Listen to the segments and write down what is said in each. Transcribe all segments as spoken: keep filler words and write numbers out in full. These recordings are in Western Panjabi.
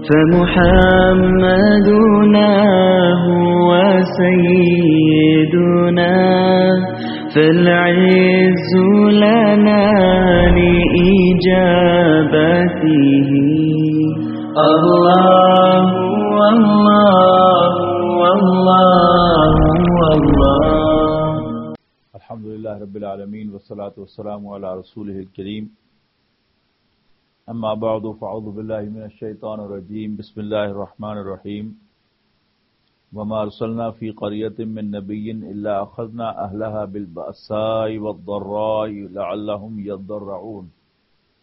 فمحمدنا هو سيدنا، فالعز لنا لإجابته. الله، الله، الله، الله. الحمد لله رب العالمين، والصلاة والسلام على رسوله الكريم. أما بعد، فأعوذ بالله من الشيطان الرجيم. بسم الله الرحمن الرحيم. وما أرسلنا في قرية من نبي إلا أخذنا أهلها بالبأساء والضراء لعلهم يضرعون.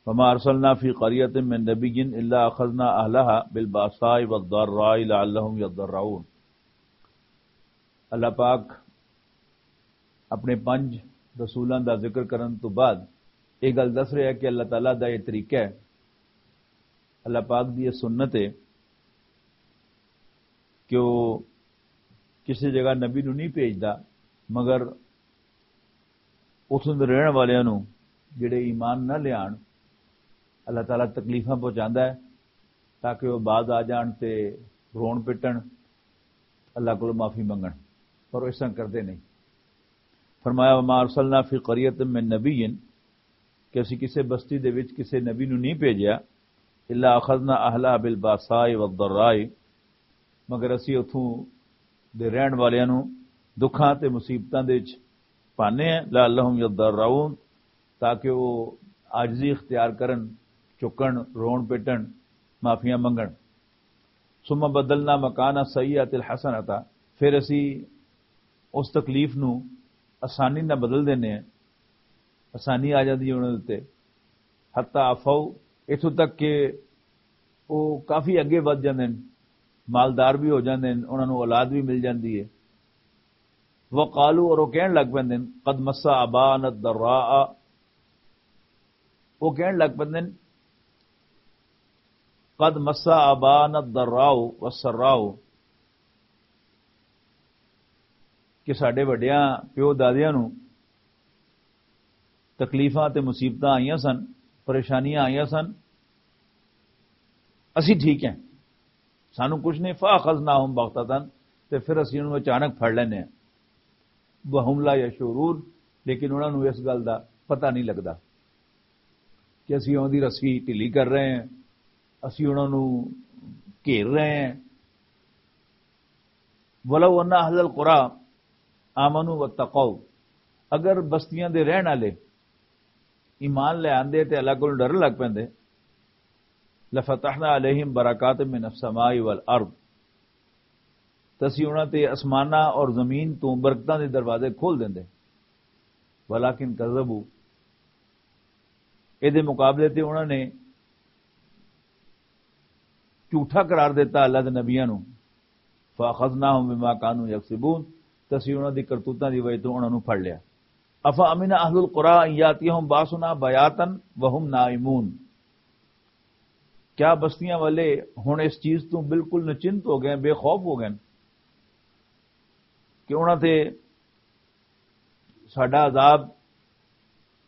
وما أرسلنا في قرية من نبي إلا أخذنا أهلها بالبأساء والضراء لعلهم يضرعون. اللہ پاک اپنے پنج رسولاں دا ذکر کرن تو بعد یہ گل دس رہا ہے کہ اللہ تعالیٰ دا یہ طریقہ ہے، اللہ پاک دی یہ سنت ہے کہ وہ کسی جگہ نبی نو نہیں بھیجدا، مگر اتھوں دے رہن والیاں نو، جڑے ایمان نہ لیان، اللہ تعالیٰ تکلیفاں پہنچاندا ہے تاکہ وہ بعد آ جان تے رون پٹن، اللہ کولوں معافی منگن، پر وہ اس طرح کردے نہیں۔ فرمایا، "وما ارسلنا فی قریۃ من نبی"، کہ اسی کسے بستی دے وچ کسے نبی نو نہیں بھیجیا، "الا اخذنا اہلہا بالباساء والضراء"، مگر اسی اتھوں دے رہن والیاں نو دکھاں تے مصیبتاں دے وچ پانے ہیں، "لعلہم یضرعون"، تاکہ وہ عاجزی اختیار کرن، چکن، رون پٹن، معافیاں منگن۔ "ثم بدلنا مکان السیئۃ الحسنۃ"، پھر اسی اس تکلیف نو آسانی نال بدل دینے ہیں، آسانی آ جاندی ہے انہاں دے تے۔ "حتی عفوا"، اتھوں تک کہ وہ کافی اگے ودھ جاندے ہیں، مالدار بھی ہو جاندے ہیں، انہاں نوں اولاد بھی مل جاندی ہے۔ "وقالوا"، اور وہ کہن لگ پیندے ہیں، "قد مس آباءنا الضراء"، وہ کہن لگ پیندے ہیں، "قد مس آباءنا الضراء والسراء"، کہ ساڈے وڈیاں پیو دادیاں نوں تکلیفاں تے مصیبتاں آئیاں سن، پریشانیاں آئیاں سن، اسی ٹھیک ہیں، سانوں کچھ نہیں۔ "فاخذناہم بغتۃ"، تے پھر اسی انہوں اچانک پھڑ لینے ہیں۔ "وہم لا یشعرون"، لیکن انہاں نوں اس گل دا پتہ نہیں لگدا کہ اسی انہاں دی رسی ڈھیلی کر رہے ہیں، اسی انہاں نوں گھیر رہے ہیں۔ "ولو ان اہل القری آمنوا واتقوا"، اگر بستیاں دے رہن والے ایمان لے آندے تے اللہ کول ڈرن لگ پیندے، "لفتحنا علیہم برکات من السماء والارض"، تے اسی انہاں تے آسماناں اور زمین تو برکتاں دے دروازے کھول دیندے۔ "ولکن کذبوا"، اے دے مقابلے تے انہاں نے جھوٹا قرار دیتا اللہ دے نبیاں نوں۔ "فاخذناہم بما کانوا یکسبون"، تے اسی انہاں دی کرتوتاں دی وجہ تو انہاں نوں پھڑ لیا۔ "افامن اہل القری ان یاتیہم باسنا بیاتا وہم نائمون"، کیا بستیاں والے ہن اس چیز تو بالکل نچنت ہو گئے، بے خوف ہو گئے کہ انہاں تے ساڈا عذاب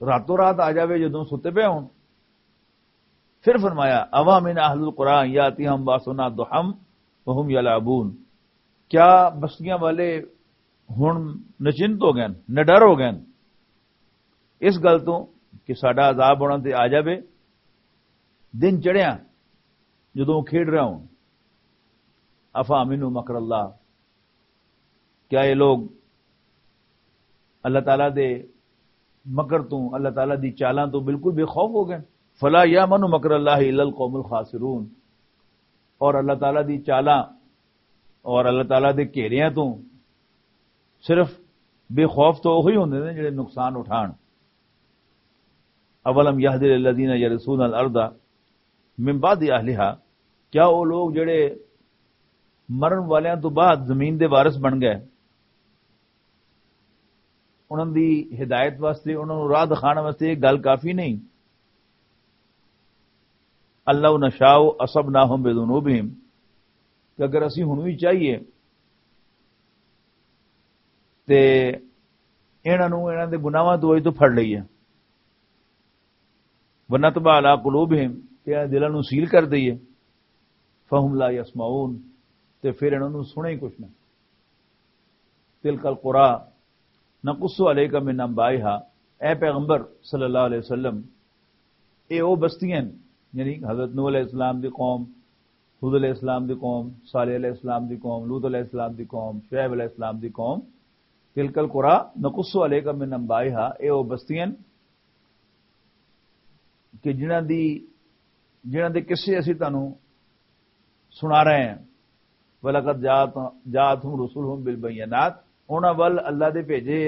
راتوں رات آ جاوے جدوں ستے پئے ہون؟ پھر فرمایا، "اوا من اہل القری یاتیہم باسنا ضحی وہم یلعبون"، کیا بستیاں والے ہن نچنت ہو گئے، نڈر ہو گئے اس گل تو کہ ساڈا عذاب انہاں تے آ جاوے دن چڑھیا جدوں وہ کھیڈ رہے ہون؟ "افامنوا مکر اللہ"، کیا یہ لوگ اللہ تعالیٰ دے مکر تو، اللہ تعالیٰ دی چالاں تو بالکل بے خوف ہو گئے؟ "فلا یامن مکر اللہ الا القوم الخاسرون"، اور اللہ تعالیٰ دی چالاں اور اللہ تعالیٰ دے گھیریاں تو صرف بے خوف تو وہی ہوندے نے جڑے نقصان اٹھان۔ "اولم یہد للذین یرثون الارض من بعد اہلہا"، کیا وہ لوگ جڑے مرن والیاں تو بعد زمین دے وارث بن گئے، انہاں دی ہدایت واسطے، انہاں نوں راہ دکھانے واسطے یہ گل کافی نہیں؟ "ان لو نشاء اصبناہم بذنوبہم"، کہ اگر اسی ہن وی چاہیے تے انہاں نوں انہاں دے گناہاں تو وجہ تو پھڑ لئیے۔ "ونطبع علی قلوبہم"، تے انہاں دلاں نوں سیل کر دئیے۔ فہم لا یسمعون، تے پھر انہاں نوں سنے ہی کچھ نہ۔ تلک القریٰ نقص علیک من انبائها، اے پیغمبر صلی اللہ علیہ وسلم، اے او بستیاں ہن، یعنی حضرت نوح علیہ السلام دی قوم، ہود علیہ السلام دی قوم، صالح علیہ السلام دی قوم، لوط علیہ السلام دی قوم، شعیب علیہ السلام دی قوم۔ تلک القریٰ نقص علیک من انبائها، اے او بستیاں ہن کہ جنہاں دی، جنہاں دے قصے اسی تانوں سنا رہے ہیں۔ وَلَقَدْ جَاءَتْ، جَاءَتْهُمْ رُسُلُهُمْ بِالْبَيِّنَاتِ، انہاں ول اللہ دے بھیجے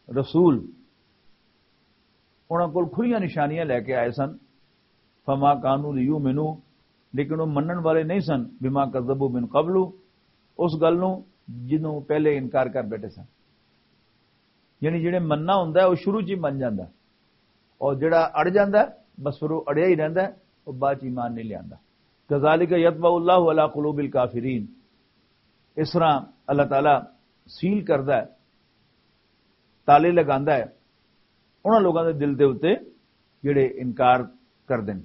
رسول انہاں کول کھلیاں نشانیاں لے کے آئے سن۔ فما کانوا لیؤمنوا، لیکن وہ منن والے نہیں سن، بما کذبوا من قبل، اس گل نوں جنوں پہلے انکار کر بیٹھے سن۔ یعنی جڑے مننا ہوندا ہے، وہ شروع چ ہی من جاندا ہے، اور جڑا اڑ جاندا ہے، بس پھر وہ اڑیا ہی رہندا ہے، وہ بعد چ ایمان نہیں لیاندا۔ کذالک یطبع اللہ علی قلوب الکافرین، اس طرح اللہ تعالیٰ سیل کردا ہے، تالے لگاندا ہے انہاں لوگاں دے دل دے اُتے جڑے انکار کر دین۔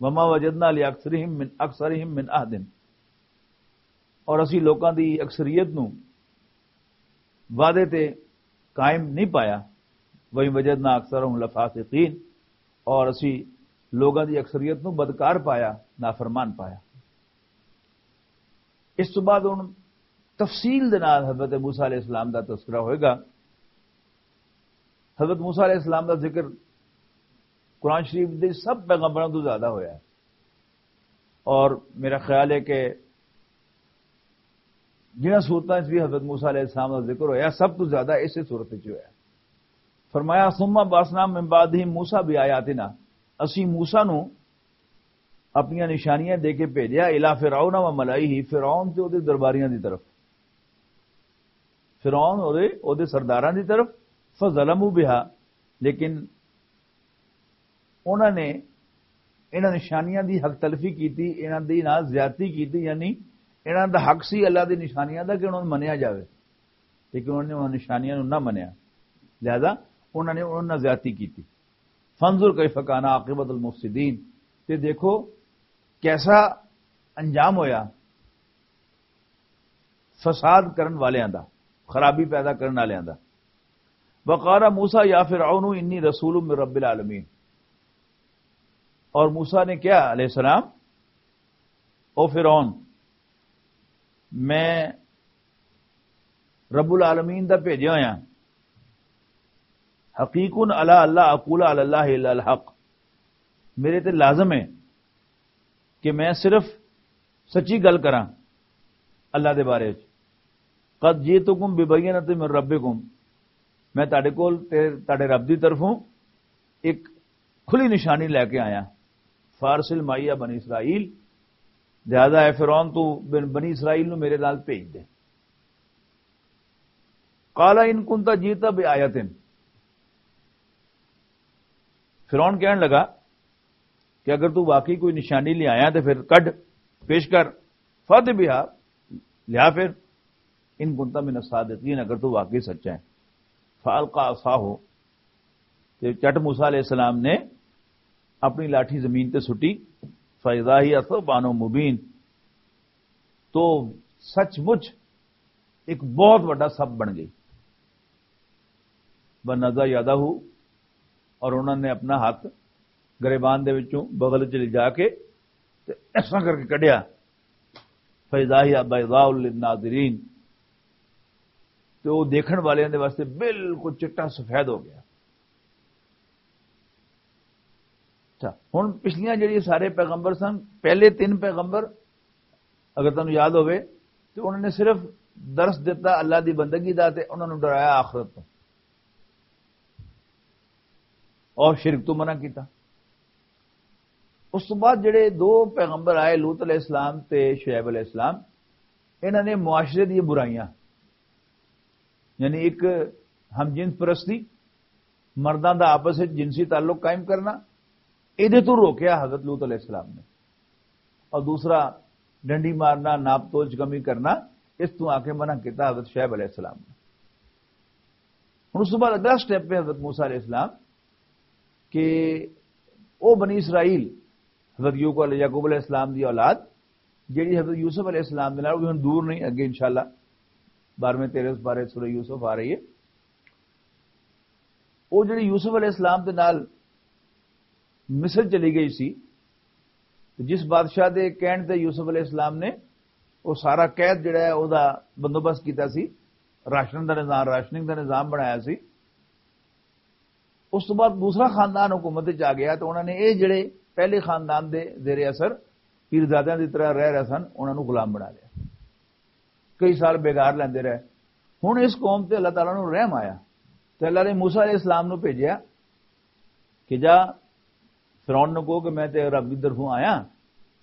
وما وجدنا لأکثرہم من، اکثرہم من عہد، اور اسی لوکاں دی اکثریت نوں وعدے تے قائم نہیں پایا۔ وَإِن وَجَدْنَا أَكْثَرَهُمْ لَفَاسِقِينَ، اور اسی لوگاں دی اکثریت نوں بدکار پایا، نافرمان پایا۔ اس تو بعد ہن تفصیل دے نال حضرت موسیٰ علیہ السلام دا تذکرہ ہوئے گا۔ حضرت موسیٰ علیہ السلام دا ذکر قرآن شریف دے سب پیغمبراں تو زیادہ ہویا ہے، اور میرا خیال ہے کہ جنہاں صورتاں اس بھی حضرت موسیٰ علیہ السلام دا ذکر ہویا، سب تو زیادہ اسی صورت وچ ہویا۔ فرمایا، ثم بعثنا من بعدہم موسیٰ بآیاتنا، اسی موسیٰ نو اپنیاں نشانیاں دے کے بھیجیا، الی فرعون و ملئہ، فرعون تے اودے درباریاں دی طرف، فرعون اور اودے سرداراں دی طرف، فظلموا بہا، لیکن انہاں نے انہاں نشانیاں دی حق تلفی کیتی، انہاں دی نال زیادتی کیتی، یعنی انہاں دا حق سی اللہ دی نشانیاں دا کہ انہاں نوں منیا جاوے، لیکن انہاں نے انہاں نشانیاں نوں نہ منیا، لہذا انہاں نے انہاں نال زیادتی کیتی۔ فانظر کیف کان عاقبۃ المفسدین، تے دیکھو کیسا انجام ہویا فساد کرن والیاں دا، خرابی پیدا کرن والیاں دا۔ وقال موسیٰ یا فرعون انی رسول من رب العالمین، اور موسیٰ نے کہا علیہ السلام، او فرعون، میں رب العالمین دا بھیجیا ہویا، حقیق علی اللہ اقول علی اللہ الا الحق، میرے تے لازم ہے کہ میں صرف سچی گل کراں اللہ دے بارے وچ۔ قد جئتکم ببینۃ من ربکم، میں تہاڈے کول تے تہاڈے رب دی طرفوں ایک کھلی نشانی لے کے آیا۔ فارسل معی بنی اسرائیل، لہذا اے فرعون تو بن، بنی اسرائیل نو میرے نال بھیج دے۔ قال ان کنت جئت بآیۃ، فرعون کہن لگا کہ اگر تو واقعی کوئی نشانی لے آیا تو پھر کڈ پیش کر، فد بہا، لیا پھر، ان کنت من الصادقین، اگر تو واقعی سچا ہے۔ فالقی عصاہ، تے چٹ موسیٰ علیہ السلام نے اپنی لاٹھی زمین تے سٹی، فاذا ہی ثعبان مبین، تو سچ مچ ایک بہت بڑا سب بن گئی۔ ونزع یدہ، اور انہوں نے اپنا ہاتھ گریبان دے وچوں بغل چ لے جا کے تے ایسا کر کے کڈیا۔ فاذا ہی بیضاء للناظرین، تے وہ دیکھن والے دے واسطے بالکل چٹا سفید ہو گیا۔ اچھا، ہن پچھلیاں جڑی سارے پیغمبر سن، پہلے تین پیغمبر اگر تانوں یاد ہوئے، تو انہوں نے صرف درس دتا اللہ دی بندگی دا تے انہوں نے ڈرایا آخرت تو، اور شرک تو منع کیتا۔ اس تو بعد جڑے دو پیغمبر آئے، لوط علیہ السلام تے شعیب علیہ السلام، انہوں نے معاشرے دی برائیاں، یعنی ایک ہم جنس پرستی، مرداں دا آپس وچ جنسی تعلق قائم کرنا، ایدے تو روکیا حضرت لوط علیہ السلام نے۔ اور دوسرا، ڈنڈی مارنا، ناپ تول چ کمی کرنا، اس تو آ کے منع کیتا حضرت شعیب علیہ السلام نے۔ ہن اس تو بعد اگلا سٹیپ ہے حضرت موسیٰ علیہ السلام کہ او بنی اسرائیل، حضرت یعقوب علیہ، یعقوب علیہ السلام دی اولاد، جڑی حضرت یوسف علیہ السلام دے نال، وہ ہن دور نہیں، اگے انشاءاللہ بارہویں تیرہویں سپارے سورہ یوسف آ رہی ہے۔ وہ جڑی یوسف علیہ السلام دے نال مصر چلی گئی سی، تے جس بادشاہ دے کہن تے یوسف علیہ السلام نے وہ سارا قید جڑا ہے، او دا بندوبست کیتا سی، راشن دا نظام، راشننگ دا نظام بنایا سی۔ اس تو بعد دوسرا خاندان حکومت وچ آ گیا، تو انہوں نے یہ جڑے پہلے خاندان دے زیر اثر پیرزادیاں دی طرح رہ رہے سن، انہوں نے غلام بنا لیا۔ کئی سال بیگار لیندے رہے۔ ہن اس قوم تے اللہ تعالیٰ نوں رحم آیا، تے اللہ نے موسیٰ علیہ السلام نوں بھیجیا کہ جا، فرعون نوں کہو کہ میں تے رب دی طرفوں آیا،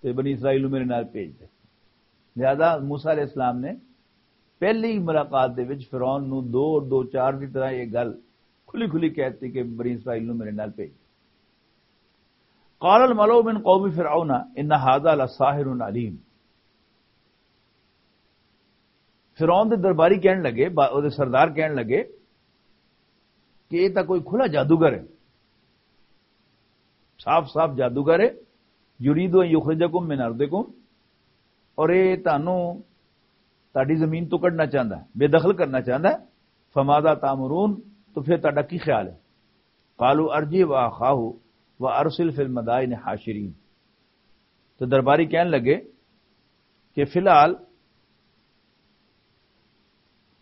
تے بنی اسرائیل نوں میرے نال بھیج دے۔ لہذا موسیٰ علیہ السلام نے پہلی ملاقات دے وچ فرعون نوں دو دو چار دی طرح یہ گل کھلی کھلی کہہ دتی کہ بنی اسرائیل نوں میرے نال بھیج۔ قال الملأ من قوم فرعون ان هذا لساحر علیم۔ فرعون دے درباری کہن لگے، با-، او دے سردار کہن لگے کہ یہ تاں کوئی کھلا جادوگر ہے، صاف صاف جادوگر ہے۔ یرید ان یخرجکم من ارضکم، اور یہ تانوں تہاڈی زمین تو کڈنا چاہندا ہے، بے دخل کرنا چاہندا ہے۔ فماذا تامرون، تو پھر تہاڈا کی خیال ہے؟ قالوا ارجع واخاہ وارسل فی المدائن حاشرین۔ تو درباری کہن لگے کہ فی الحال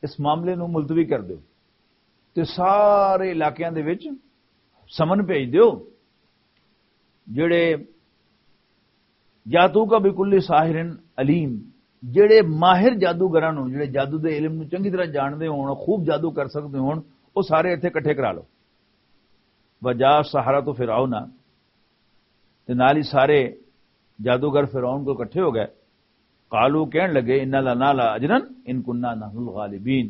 اس معاملے نوں ملتوی کر دیو تے سارے علاقیاں دے وچ سمن بھیج دیو، جڑے یاتوک بکل ساحر علیم، جڑے ماہر جادوگراں نوں، جڑے جادو دے علم نوں چنگی طرح جاندے ہون، خوب جادو کر سکدے ہون، او سارے ایتھے اکٹھے کرا لو۔ وجاء السحرۃ فرعون، تے نال ہی سارے جادوگر فرعون کول اکٹھے ہو گئے۔ قالوا، کہن لگے، ان لنا لاجرا ان کنا نحن الغالبین۔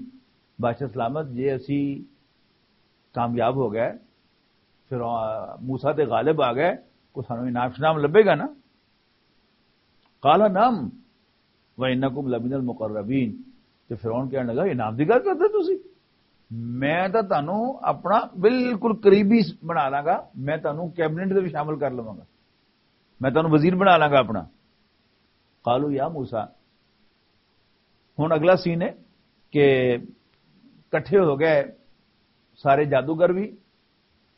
بادشاہ سلامت، جے اسی کامیاب ہو گئے، فرعون، موسیٰ تے غالب آ گئے، کوئی سانوں انعام شنام لبھے گا نا؟ قال نعم وانکم لمن المقربین۔ تے فرعون کہن لگا، انعام دی گل کردے تسی؟ میں تاں تانوں اپنا بالکل قریبی بنا لاں گا، میں تانوں کیبنٹ دے وچ شامل کر لواں گا، میں تانوں وزیر بنا لاں گا اپنا۔ قالوا یا موسیٰ، ہن اگلا سین ہے کہ کٹھے ہو گئے سارے جادوگر بھی،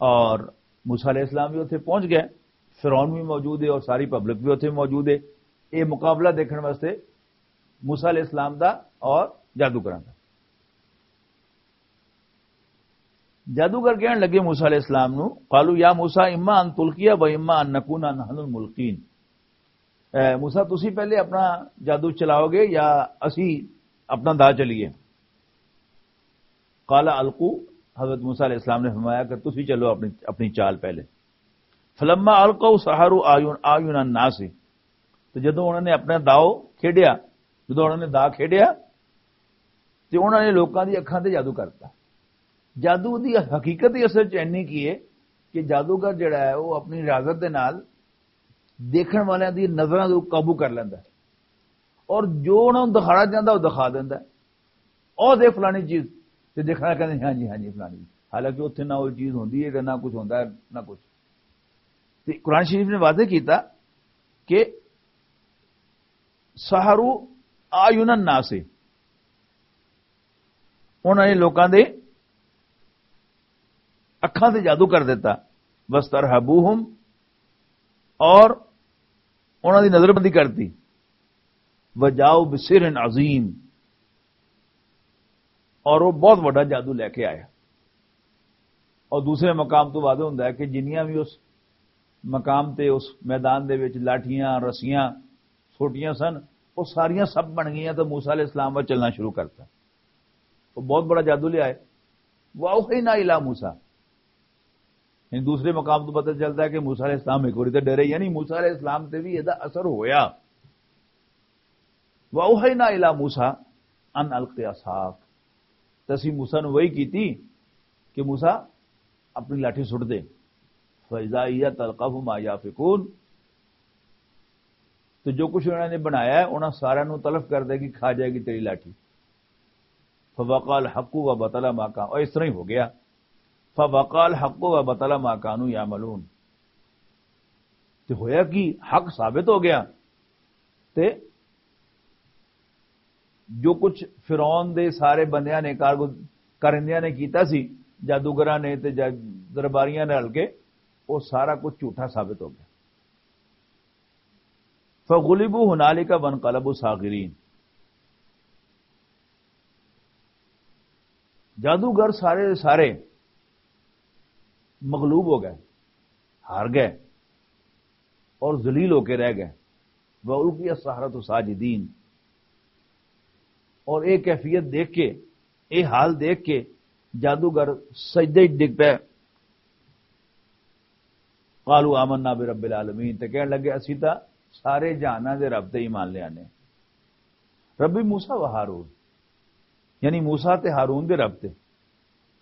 اور موسیٰ علیہ السلام بھی اتھے پہنچ گئے، فرعون بھی موجود ہے اور ساری پبلک بھی اتھے موجود ہے، یہ مقابلہ دیکھن واسطے موسیٰ علیہ السلام دا اور جادوگراں دا۔ جادوگر کہن لگے موسیٰ علیہ السلام نو، قالوا یا موسیٰ اما ان تلقی و اما ان نکون نحن الملقین۔ اے موسیٰ، تسی پہلے اپنا جادو چلاؤ گے یا اسی اپنا دا چلیے؟ قال القوا، حضرت موسیٰ علیہ السلام نے فرمایا کہ تسی چلو اپنی، اپنی چال پہلے۔ فلما القوا سحروا اعین، اعین الناس، تو جدوں انہوں نے اپنا داؤ کھیڈیا، جدوں انہوں نے دا کھیڈیا، تے انہوں نے لوکاں دی اکھاں تے جادو کرتا۔ جادو دی حقیقت ہی اصل چ اینی کی ہے کہ جادوگر جڑا ہے، وہ اپنی ریاضت دے نال دیکھن والیاں دی نظراں نوں قابو کر لیندا ہے، اور جو انہاں نوں دکھانا چاہندا، وہ دکھا دیندا ہے۔ او دے فلانی چیز، تے دیکھنا کہندے، ہاں جی، ہاں جی، فلانی چیز۔ حالانکہ اتھے نہ وہ چیز ہوندی ہے، تے نہ کچھ ہوندا ہے، نہ کچھ۔ تے قرآن شریف نے واضح کیتا کہ سحروا اعین الناس، انہاں نے لوکاں دے اکھاں تے جادو کر دیتا، واسترہبوہم، اور انہاں دی نظر بندی کرتی، وجاؤ بسحر عظیم، اور وہ بہت بڑا جادو لے کے آیا۔ اور دوسرے مقام تو واضح ہوندا ہے کہ جنیاں بھی اس مقام تے، اس میدان دے وچ لاٹھیاں، رسیاں، سوٹیاں سن، وہ ساریاں سب بن گئیاں تے موسیٰ علیہ السلام ول چلنا شروع کرتا۔ وہ بہت بڑا جادو لے آئے۔ وَأَوْحَيْنَا إِلَىٰ مُوسَىٰ۔ یعنی دوسرے مقام تو پتہ چلتا ہے کہ موسیٰ علیہ السلام ایک باری تے ڈرے، یعنی موسیٰ علیہ السلام تے بھی یہ اثر ہویا۔ وَأَوْحَيْنَا إِلَىٰ مُوسَىٰ أَنْ أَلْقِ عَصَاكَ۔ تے اسی موسیٰ نوں وحی کیتی کہ موسیٰ اپنی لاٹھی سٹ دے۔ فَإِذَا هِيَ تَلْقَفُ مَا يَأْفِكُونَ۔ تو جو کچھ انہوں نے بنایا ہے، انہاں سارے نوں تلف کر دے گی، کھا جائے گی تیری لاٹھی۔ فَوَقَعَ الْحَقُّ وَبَطَلَ مَا كَانُوا، اور اس طرح ہی ہو گیا۔ فَوَقَعَ الْحَقُّ وَبَطَلَ مَا كَانُوا يَعْمَلُونَ۔ تے ہویا کہ حق ثابت ہو گیا تے جو کچھ فرعون دے سارے بندیاں نے کار-، کارندیاں نے کیتا سی، جادوگراں نے تے جا-، درباریاں نے رل کے، وہ سارا کچھ جھوٹا ثابت ہو گیا۔ فغلبوا هنالك وانقلبوا صاغرين۔ جادوگر سارے دے سارے مغلوب ہو گئے، ہار گئے اور ذلیل ہو کے رہ گئے۔ وَأُلْقِيَ السَّحَرَةُ سَاجِدِينَ۔ اور یہ کیفیت دیکھ کے، یہ حال دیکھ کے جادوگر سجدے وچ ڈگ پے۔ قالوا آمنا برب العالمین، تے کہن لگے، اسی تا سارے جہاناں دے رب تے ایمان لے آنے۔ ربی موسیٰ و ہارون، یعنی موسیٰ تے ہارون دے رب تے۔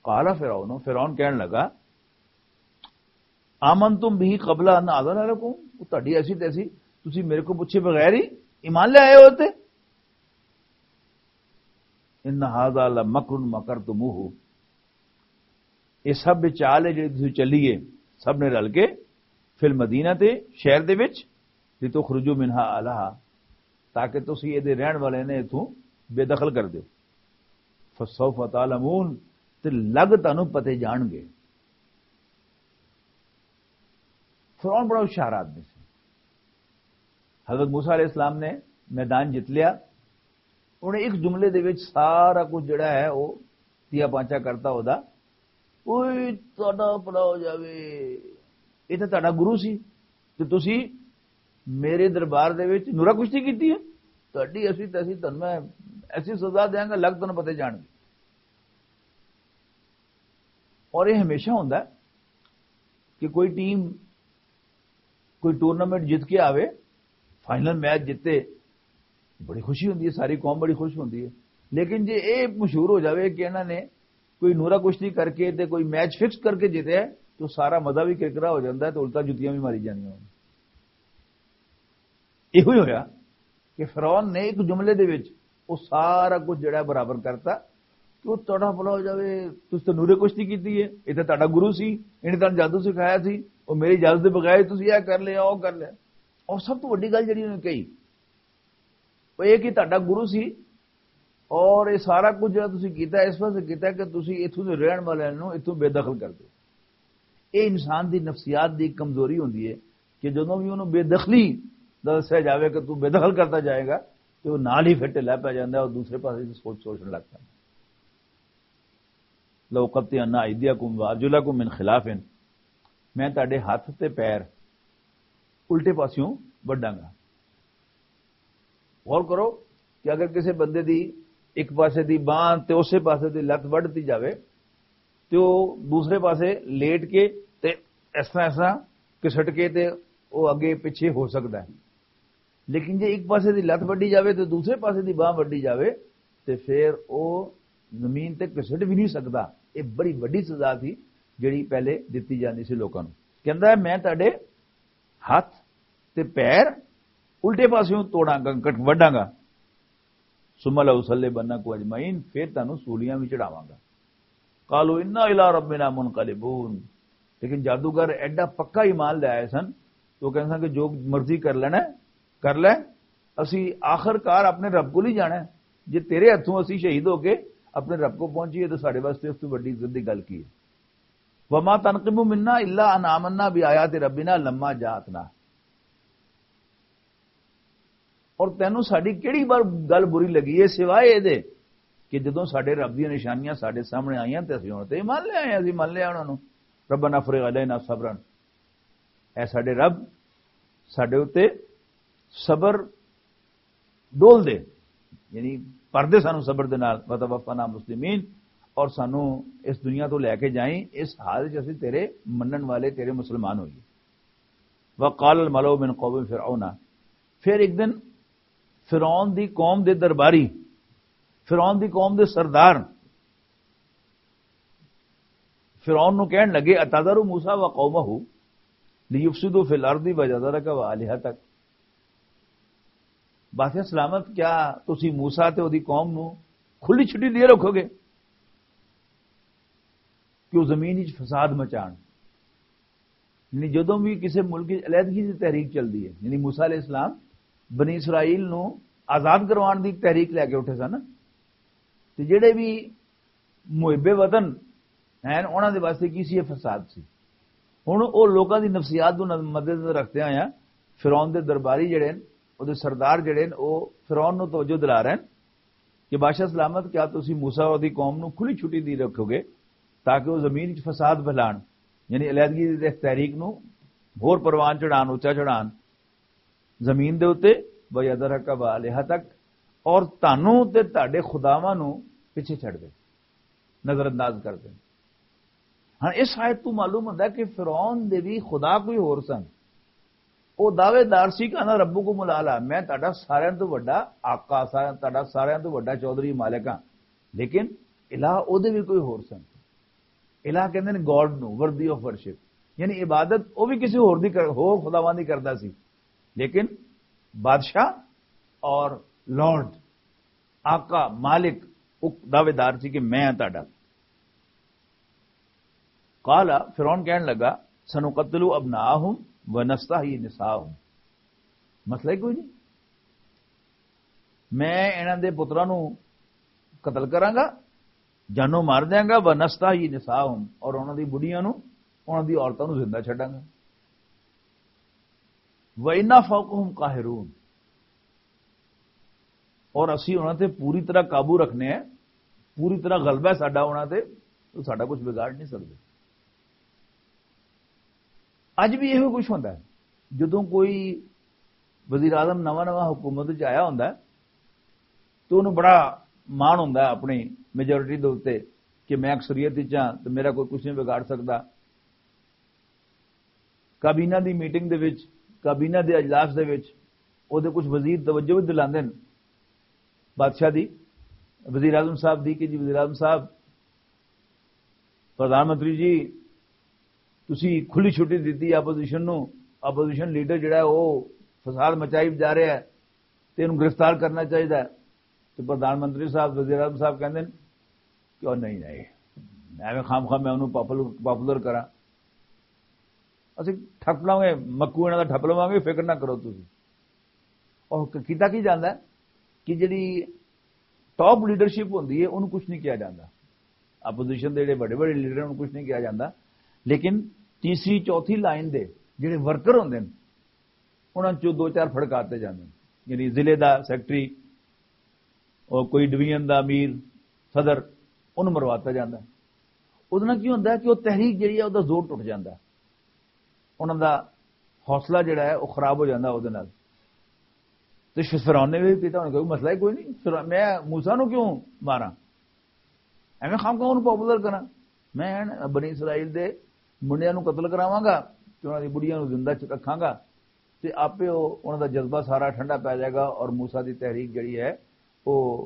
قال فرعون، فرعون کہن لگا، آمنتم به قبل ان آذن لکم، وہ تہاڈی ایسی تیسی، تسی میرے کو پوچھے بغیر ہی ایمان لے آئے ہو تے؟ ان ھذا لمکر مکرتموہ، یہ سب چال ہے جڑی تسی چلی ہے، سب نے رل کے، فی المدینہ تے، شہر دے وچ، لتخرجوا منها اہلہا، تاکہ تسی اے دے رہن والے نے اتھوں بے دخل کر دیو۔ فسوف تعلمون، تے لگ تانوں پتے جان گے۔ فرعون بڑا ہوشیار آدمی سی۔ حضرت موسیٰ علیہ السلام نے میدان جت لیا، انہیں ایک جملے دے وچ سارا کچھ جڑا ہے وہ تیا پانچا کرتا ہوتا۔ اوئے، تہاڈا بھلا ہو جاوے، یہ تے تہاڈا گرو سی، تے تسی میرے دربار دے وچ نورا کشتی کیتی ہے؟ تہاڈی ایسی تیسی، تہانوں میں ایسی سزا دیاں گا، لگ تہانوں پتے جان گے۔ اور یہ ہمیشہ ہوندا ہے کہ کوئی ٹیم کوئی ٹورنامنٹ جیت کے آوے، فائنل میچ جیتے، بڑی خوشی ہوندی ہے، ساری قوم بڑی خوش ہوندی ہے۔ لیکن جے اے مشہور ہو جاوے کہ انہاں نے کوئی نورا کشتی کر کے تے کوئی میچ فکس کر کے جیتے ہے، تو سارا مزہ بھی کرکرا ہو جاندا ہے، تو الٹا جتیاں بھی ماری جانیاں ہون۔ ایہو ہی ہویا کہ فرعون نے ایک جملے دے وچ وہ سارا کچھ جڑا ہے برابر کرتا کہ وہ تہاڈا بھلا ہو جاوے، تسی تے نورے کشتی کیتی ہے، یہ تے تہاڈا گرو سی، انہیں تہانوں جادو سکھایا سی، وہ میری اجازت دے بغیر ہی تسی یہ کر لیا، وہ کر لیا۔ اور سب تو وڈی گل جڑی انہوں نے کہی، وہ یہ کہ تہاڈا گرو سی، اور یہ سارا کچھ جڑا تسی کیتا ہے، اس واسطے کیتا ہے کہ تسی اتھوں دے رہن والے نوں اتھوں بے دخل کر دو۔ یہ انسان دی نفسیات دی ایک کمزوری ہوندی ہے کہ جدوں بھی انہوں بے دخلی دا دسیا جاوے کہ تو بے دخل کرتا جائے گا، تو وہ نال ہی پھر ڈھلا پی جاندا ہے اور دوسرے پاسے سے سوچ سوچن لگ پیندا۔ لو قطعن ایدیکم وارجلکم من خلاف، میں تہاڈے ہاتھ تے پیر الٹے پاسیوں وڈاں گا۔ غور کرو کہ اگر کسی بندے دی ایک پاسے دی بانہ تے اسے پاسے دی لت وڈ دتی جاوے تے او دوسرے پاسے لیٹ کے تے اس طرح، اس طرح کسٹ کے تے او اگے پچھے ہو سکدا ہے۔ لیکن جے ایک پاسے دی لت وڈی جاوے تے دوسرے پاسے دی بانہ وڈی جاوے تے پھر او زمین تے کسٹ بھی نہیں سکدا۔ یہ بڑی وڈی سزا تھی جڑی پہلے دتی جاندی سی لوکاں نوں۔ کہندا ہے، میں تہاڈے ہاتھ تے پیر الٹے پاسیوں توڑاں گا، کٹ وڈاں گا۔ ثم لأصلبنکم اجمعین، پھر تانوں سولیاں وچ چڑھاواں گا۔ قالوا انا الی ربنا منقلبون۔ لیکن جادوگر ایڈا پکا ایمان لے آئے سن، تو کہندے سن کہ جو مرضی کر لینا ہے، کر لے، اسی آخر کار اپنے رب کو ہی جانا ہے۔ جے تیرے ہتھوں اسی شہید ہو کے اپنے رب کو پہنچیے تو ساڈے واسطے اس تو وڈی عزت دی گل کی ہے؟ وما تنقم منا الا ان آمنا بآیات ربنا لما جاءتنا۔ اور تینوں ساڈی کیڑی بار گل بری لگی ہے سوائے اے دے کہ جدوں ساڈے رب دیاں نشانیاں ساڈے سامنے آئیاں تے اسی ہن تے ایمان لے آئے، اسی من لیا انہاں نوں۔ ربنا افرغ علینا صبرا، اے ساڈے رب، ساڈے اُتے صبر ڈول دے، یعنی پردے سانو صبر دے نال، وتوفنا مسلمین، اور سانو اس دنیا تو لے کے جائیں اس حال وچ اسی تیرے منن والے، تیرے مسلمان ہوئیے۔ وقال الملأ من قوم فرعون، پھر ایک دن فرعون دی قوم دے درباری، فرعون دی قوم دے سردار فرعون نو کہن لگے، "اتذر موسیٰ و قومہ لیفسدوا فی الارض وجزرک و آلہتک۔" بادشاہ سلامت، کیا تسی موسیٰ تے اودی قوم نو کھلی چھٹی دے رکھو گے کہ وہ زمین وچ فساد مچان؟ یعنی جدوں بھی کسی ملک وچ علیحدگی دی تحریک چلدی ہے، یعنی موسیٰ علیہ السلام بنی اسرائیل نو آزاد کروان دی تحریک لے کے اٹھے سن، تے جڑے بھی محب وطن ہیں، انہاں دے واسطے کی سی؟ یہ فساد سی۔ ہن او لوکاں دی نفسیات نوں مد نظر رکھدے ہوئے فرعون دے درباری جڑے ہن، او دے سردار جڑے ہن، او فرعون نوں توجہ دلا رہے ہن کہ بادشاہ سلامت، کیا تسی موسیٰ اور دی قوم نوں کھلی چھٹی دی رکھو گے تاکہ وہ زمین وچ فساد پھیلان، یعنی علیحدگی دی تحریک نوں ہور پروان چڑھان، اچا چڑھان زمین دے اُتے؟ وَيَذَرَكَ وَآلِهَتَكَ، اور تانوں تے تہاڈے خداواں نوں پیچھے چھڈ دے، نظر انداز کر دے۔ ہن اس آیت تو معلوم ہوندا ہے کہ فرعون دے بھی خدا کوئی ہور سن۔ او دعوے دار سی کہ انا ربکم الاعلی، میں تہاڈا ساریاں تو وڈا آقا، ساریاں، تہاڈا ساریاں تو وڈا چودھری مالک ہاں۔ لیکن الہ او دے بھی کوئی ہور سن۔ الہ کہندے نے گاڈ نو، ورتھی آف ورشپ، یعنی عبادت او بھی کسی ہور دی کر، ہور خداواں دی کردا سی۔ لیکن بادشاہ اور لارڈ، آقا، مالک، او دعوے دار سی کہ میں ہاں تہاڈا۔ قال، فرعون کہن لگا، سنقتل ابناءهم ونستحيي نساءهم۔ مسئلہ ہی کوئی نہیں، میں انہاں دے پتراں نوں قتل کراں گا، جانوں مار دیاں گا، ونستحيي نساءهم، اور انہاں دی بڑھیاں نوں، انہاں دی عورتاں نوں زندہ چھڈاں گا۔ وَإِنَّا فَوْقَهُمْ قَاهِرُونَ، اور اسی انہاں تے پوری طرح قابو رکھنے ہیں، پوری طرح غلبہ ہے ساڈا انہاں تے، تو ساڈا کچھ بگاڑ نہیں سکدے۔ اج بھی ایہو کچھ ہوندا ہے، جدوں کوئی وزیر اعظم نواں نواں حکومت وچ آیا ہوندا ہے، تو انہوں بڑا مان ہوندا ہے اپنی میجورٹی دے اُتے کہ میں اکثریت وچ ہاں تے میرا کوئی کچھ نہیں بگاڑ سکدا۔ کابینہ دی میٹنگ دے وچ، کابینہ دے اجلاس دے وچ، او دے کچھ وزیر توجہ وی دلاندے نے بادشاہ دی، وزیر اعظم صاحب دی، کہ جی وزیر اعظم صاحب، پردھان منتری جی، تسی کھلی چھٹی دتی اپوزیشن نو، اپوزیشن لیڈر جڑا ہے او فساد مچائی جا رہا ہے، تے انہوں گرفتار کرنا چاہیے۔ تے پردھان منتری صاحب، وزیر اعظم صاحب کہندے نے کہ او نہیں، نہیں، ایویں خام خام میں انہوں پاپولر، پاپولر کراں۔ اسی ٹھپ لواں گے، مکو انہاں دا ٹھپ لواں گے، فکر نہ کرو تسی۔ اور کیتا کی جاندا ہے کہ جڑی ٹاپ لیڈرشپ ہوندی ہے، انہوں کچھ نہیں کیا جاندا۔ اپوزیشن دے جڑے بڑے بڑے لیڈر ہیں، انہوں کچھ نہیں کیا جاندا۔ لیکن تیسری، چوتھی لائن دے جڑے ورکر ہوندے نے، انہاں چوں دو چار پھڑکاتے جاندے نے۔ یعنی ضلع دا سیکرٹری، اور کوئی ڈویژن دا امیر، صدر، انہوں مرواتا جاندا ہے۔ اس نال کی ہوندا ہے کہ وہ تحریک جڑی ہے، وہ زور ٹوٹ جاندا ہے، انہاں دا حوصلہ جڑا ہے، وہ خراب ہو جاندا ہے۔ اس نال تے فرعون نے بھی کیتا، انہوں نے کہا، "کوئی مسئلہ ہی کوئی نہیں، فرعون، میں موسیٰ نو کیوں ماراں؟ ایویں خام خام انہوں پاپولر کراں؟ میں بنی اسرائیل دے منڈیاں نو قتل کراواں گا تے انہاں دی بڑھیاں نو زندہ چ رکھاں گا، تے آپے او، انہاں دا جذبہ سارا ٹھنڈا پے جائے گا اور موسیٰ دی تحریک جڑی ہے، او،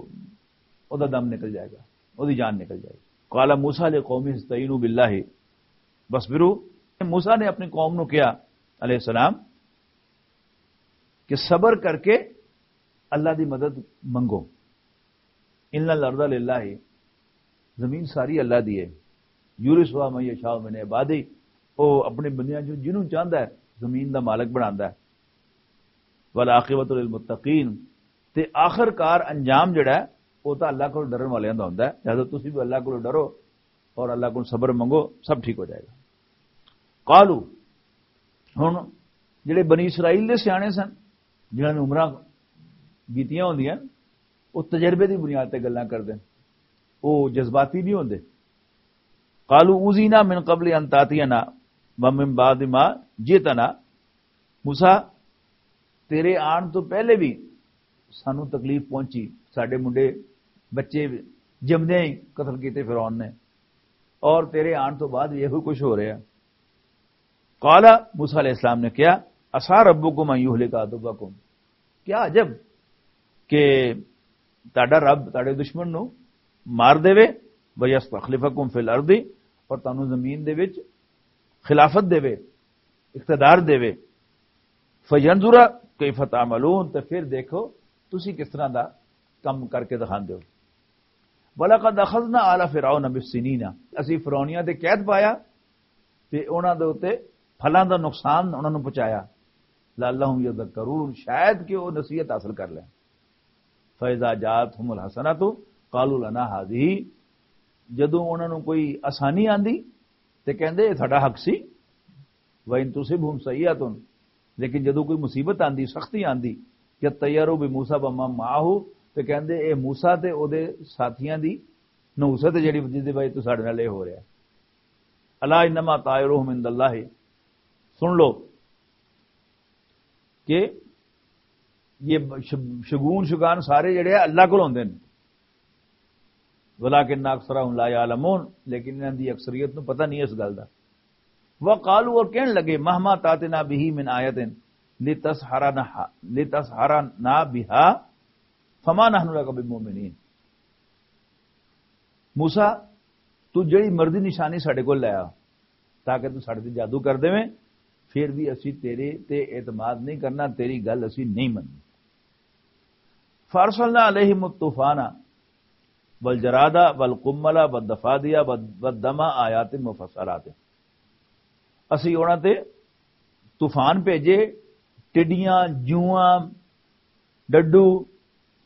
او دا دم نکل جائے گا، او دی جان نکل جائے گی۔" قال موسیٰ لقومه استعینوا باللہ واصبروا۔ موسیٰ نے اپنی قوم نو کہا، علیہ السلام، کہ صبر کر کے اللہ دی مدد منگو۔ ان الارض للہ، زمین ساری اللہ دی ہے۔ یورثها من یشاء من عبادہ، او اپنے بندیاں چوں جنوں چاہندا ہے زمین دا مالک بناندا ہے۔ والعاقبۃ للمتقین، تے آخر کار انجام جڑا ہے، او تاں اللہ کول ڈرن والیاں دا ہوندا ہے۔ لہذا تسی بھی اللہ کول ڈرو اور اللہ کول صبر منگو، سب ٹھیک ہو جائے گا۔ قالو، ہن جڑے بنی اسرائیل دے سیانے سن، جنہاں نے عمراں کیتیاں ہوندیاں، او تجربے دی بنیاد تے گلاں کردے، او جذباتی نہیں ہوندے۔ قالو اوذینا من قبل ان تاتینا ومن بعد ما جئتنا۔ موسیٰ، تیرے آن تو پہلے بھی سانو تکلیف پہنچی، ساڈے منڈے، بچے جمدے ہی قتل کیتے فرعون نے، اور تیرے آن تو بعد یہ کچھ ہو رہا ہے۔ قال، موسیٰ علیہ السلام نے کہا، عسیٰ ربکم ان یہلک عدوکم، کیا عجب کہ تہاڈا رب تہاڈے دشمن نو مار دے، ویستخلفکم فی الارض، اور تانوں زمین دے وچ خلافت دے، اقتدار دے، فینظر کیف تعملون، تے پھر دیکھو تسی کس طرح دا کم کر کے دکھاندے ہو۔ ولقد اخذنا آل فرعون بالسنین، اسی فرعونیاں تے قید پایا تے انہاں دے اُتے پھلاں دا نقصان انہاں نوں پہنچایا۔ لعلہم یذکرون، شاید کہ وہ نصیحت حاصل کر لیں۔ فَإِذَا جَاءَتْهُمُ الْحَسَنَةُ قَالُوا لَنَا هَٰذِهِ۔ جدوں انہاں نوں کوئی آسانی آندی تے کہندے، "اے ساڈا حق سی۔" وَإِن تُصِبْهُمْ سَيِّئَةٌ، لیکن جدوں کوئی مصیبت آندی، سختی آندی، يَطَّيَّرُوا بِمُوسَىٰ وَمَن مَّعَهُ، تے کہندے، "اے موسیٰ تے او دے ساتھیاں دی نحوست ہے جڑی، جس دی وجہ تو ساڈے نال اے ہو رہیا ہے۔" أَلَا إِنَّمَا طَائِرُهُمْ عِندَ اللَّهِ۔ سن لو کہ یہ ش-، شگون شگان سارے جڑے آ، اللہ کول ہوندے نے۔ وَلَٰكِنَّ أَكْثَرَهُمْ لَا يَعْلَمُونَ، لیکن انہاں دی اکثریت نوں پتہ نہیں اس گل دا۔ وَقَالُوا، اور کہن لگے، "مَهْمَا تَأْتِنَا بِهِ مِنْ آيَةٍ لِتَسْحَرَنَا، لِتَسْحَرَنَا بِهَا فَمَا نَحْنُ لَكَ بِمُؤْمِنِينَ۔" موسیٰ، تو جڑی مرضی نشانی ساڈے کول لے آ، تاکہ تو ساڈے تے جادو کر دیویں، پھر بھی اسی تیرے تے اعتماد نہیں کرنا، تیری گل اسی نہیں مننی۔ فَأَرْسَلْنَا عَلَيْهِمُ الطُّوفَانَ وَالْجَرَادَ وَالْقُمَّلَ وَالضَّفَادِعَ وَالدَّمَ آيَاتٍ مُفَصَّلَاتٍ۔ اسی انہاں تے طوفان بھیجے، ٹڈیاں، جواں، ڈڈو،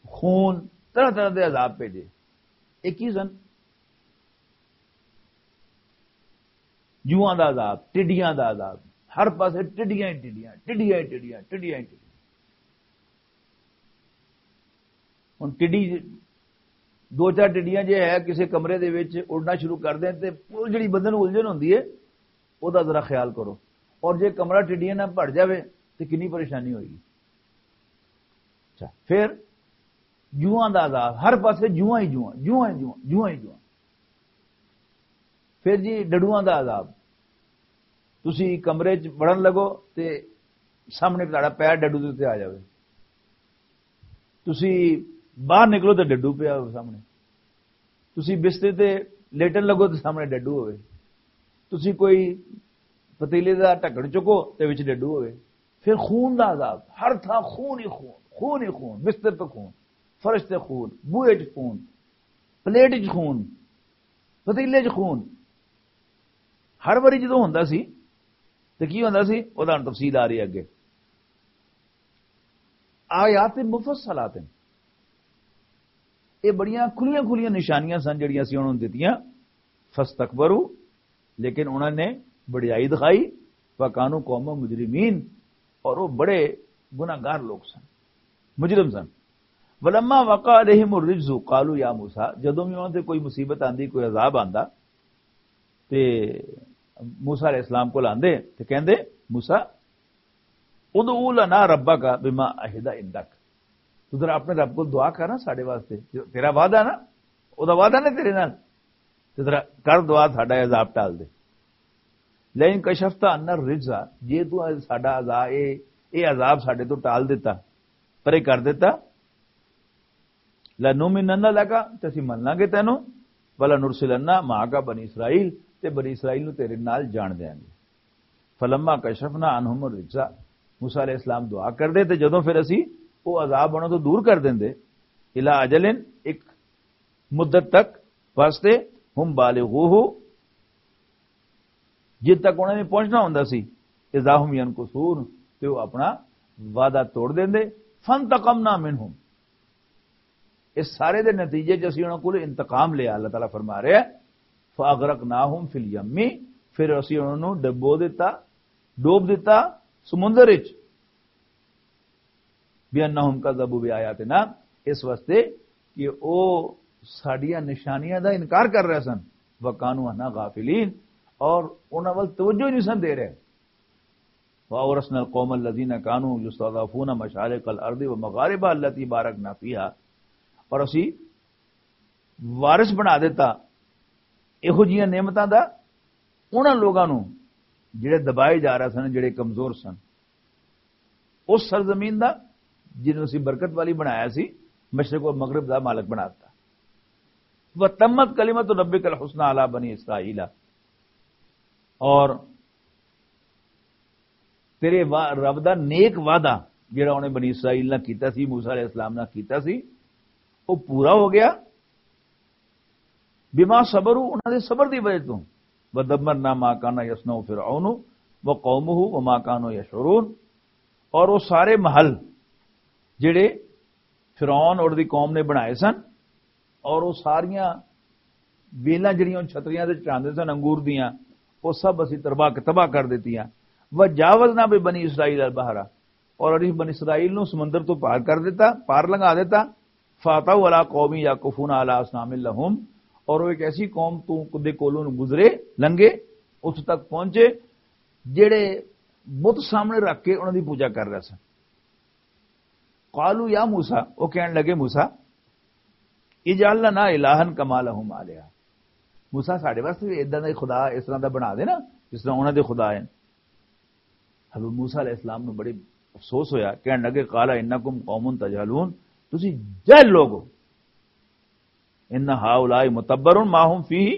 خون، طرح طرح دے عذاب بھیجے۔ ایک ہی سن، جواں دا عذاب، ٹڈیاں دا عذاب، ہر پاسے ٹڈیاں ہی ٹڈیاں، ٹڈیاں ہی ٹڈیاں، ٹڈیاں ہی ٹڈیاں۔ ہن ٹڈی، دو چار ٹڈیاں جے ہے کسے کمرے دے وچ اڑنا شروع کر دین تے او جڑی بندے نوں الجھن ہوندی ہے، او دا ذرا خیال کرو۔ اور جے کمرہ ٹڈیاں نال بھر جاوے تے کنی پریشانی ہوئی۔ اچھا، پھر جواں دا عذاب، ہر پاسے جواں ہی جواں، جواں ہی جواں، جواں ہی جواں۔ پھر جی ڈڈواں دا عذاب، تسی کمرے چ وڑن لگو تے سامنے تہاڈا پیر ڈڈو دے تے آ جاوے، تسی باہر نکلو تے ڈڈو پیا ہوے سامنے، تسی بسترے تے لیٹن لگو تے سامنے ڈڈو ہوے، تسی کوئی پتیلے دا ڈھکن چکو تے وچ ڈڈو ہوے۔ پھر خون دا عذاب، ہر تھاں خون ہی خون، خون ہی خون، بستر تے خون، فرش تے خون، بوئے چ خون، پلیٹ چ خون، پتیلے چ خون۔ ہر واری جدوں ہوندا سی تے کی ہوندا سی، او دا تفصیل آ رہی ہے اگے۔ آیات مفصلات ہیں۔ یہ بڑیاں کھلیاں کھلیاں نشانیاں سن جڑیاں سی انہوں نے دتیاں۔ فاستکبروا، لیکن انہوں نے بڑیائی دکھائی۔ وکانوا قوما مجرمین، اور وہ بڑے گناہگار لوگ سن، مجرم سن۔ ولما وقع علیہم الرجز قالوا یا موسیٰ، جدوں بھی انہوں تے کوئی مصیبت آندی، کوئی عذاب آندا، تے موسیٰ علیہ السلام کول آندے تے کہندے، "موسیٰ، ادع لنا ربک بما عہد عندک۔" تو ذرا اپنے رب کول دعا کر نا ساڈے واسطے، جو تیرا وعدہ نا، او دا وعدہ نا تیرے نال، تے ذرا کر دعا، ساڈا عذاب ٹال دے۔ لئن کشفت عنا الرجز، جے تو ساڈا عذاب، اے، اے عذاب ساڈے تو ٹال دیتا، پرے کر دیتا، لَنُؤْمِنَنَّ لَكَ، تے اسی من لاں گے تینوں، وَلَنُرْسِلَنَّ مَعَكَ بَنِي إِسْرَائِيلَ، تے بنی اسرائیل نوں تیرے نال جان دیاں گے۔ فَلَمَّا كَشَفْنَا عَنْهُمُ الرِّجْزَ، موسیٰ علیہ السلام دعا کردے تے جدوں پھر اسی او عذاب انہاں تو دور کر دیندے، إِلَىٰ أَجَلٍ، ایک مدت تک واسطے، هُمْ بَالِغُوهُ، جد تک انہاں نے پہنچنا ہوندا سی، اذا هم ينكثون، تے وہ اپنا وعدہ توڑ دیندے۔ فانتقمنا منهم، اس سارے دے نتیجے چ اسی انہاں کول انتقام لیا، اللہ تعالیٰ فرما رہا ہے، فاغرقناهم في اليم، پھر اسی انہاں نوں ڈبو دیتا، ڈوب دیتا سمندر وچ۔ بِأَنَّهُمْ كَذَّبُوا بِآيَاتِنَا، اس واسطے کہ او ساڈیاں نشانیاں دا انکار کر رہے سن، وَكَانُوا عَنْهَا غَافِلِينَ، اور انہاں ول توجہ ہی نہیں سن دے رہے۔ وَأَوْرَثْنَا الْقَوْمَ الَّذِينَ كَانُوا يُسْتَضْعَفُونَ مَشَارِقَ الْأَرْضِ وَمَغَارِبَهَا الَّتِي بَارَكْنَا فِيهَا، اور اسی وارث بنا دیتا ایہو جیاں نعمتاں دا انہاں لوگاں نوں جڑے دبائے جا رہے سن، جڑے کمزور سن، اس سرزمین دا جنوں اسی برکت والی بنایا سی، مشرق و مغرب دا مالک بنا دیتا۔ وَتَمَّتْ كَلِمَةُ رَبِّكَ الْحُسْنَىٰ عَلَىٰ بَنِي إِسْرَائِيلَ، اور تیرے وا-، رب دا نیک وعدہ جڑا انہیں بنی اسرائیل نہ کیتا سی، موسیٰ علیہ السلام نہ کیتا سی، وہ پورا ہو گیا۔ بما صبروا، انہاں دے صبر دی وجہ تو۔ ودمرنا ما كان يصنع فرعون وقومه وما كانوا يشعرون، اور وہ سارے محل جڑے فرعون اور دی قوم نے بنائے سن، اور وہ ساریاں ویلاں جڑیاں چھتریاں تے چڑھاندے سن انگور دیاں، وہ سب اسی تباہ تباہ کر دتیاں۔ وجاوزنا ببنی اسرائیل البحر، اور اسی بنی اسرائیل نو سمندر تو پار کر دیتا، پار لنگا دیتا۔ فاتوا علی قوم یعکفون علی اصنام لہم، اور وہ ایک ایسی قوم تو دے کولوں گزرے، لنگے، اس تک پہنچے جڑے بت سامنے رکھ کے انہاں دی پوجا کر رہے سن۔ قالوا یا موسیٰ، وہ کہن لگے، موسیٰ، اجعل لنا الہا کما لہم آلہہ۔ موسیٰ، ساڈے واسطے بھی اداں دا خدا، اس طرح دا بنا دے نا، جس طرح انہاں دے خدا ہیں۔ حضرت موسیٰ علیہ السلام نو بڑی افسوس ہویا، کہن لگے، قال انکم قوم تجہلون، تسی جہل لوگ ہو۔ ان ہؤلاء متبر ما هم فیہ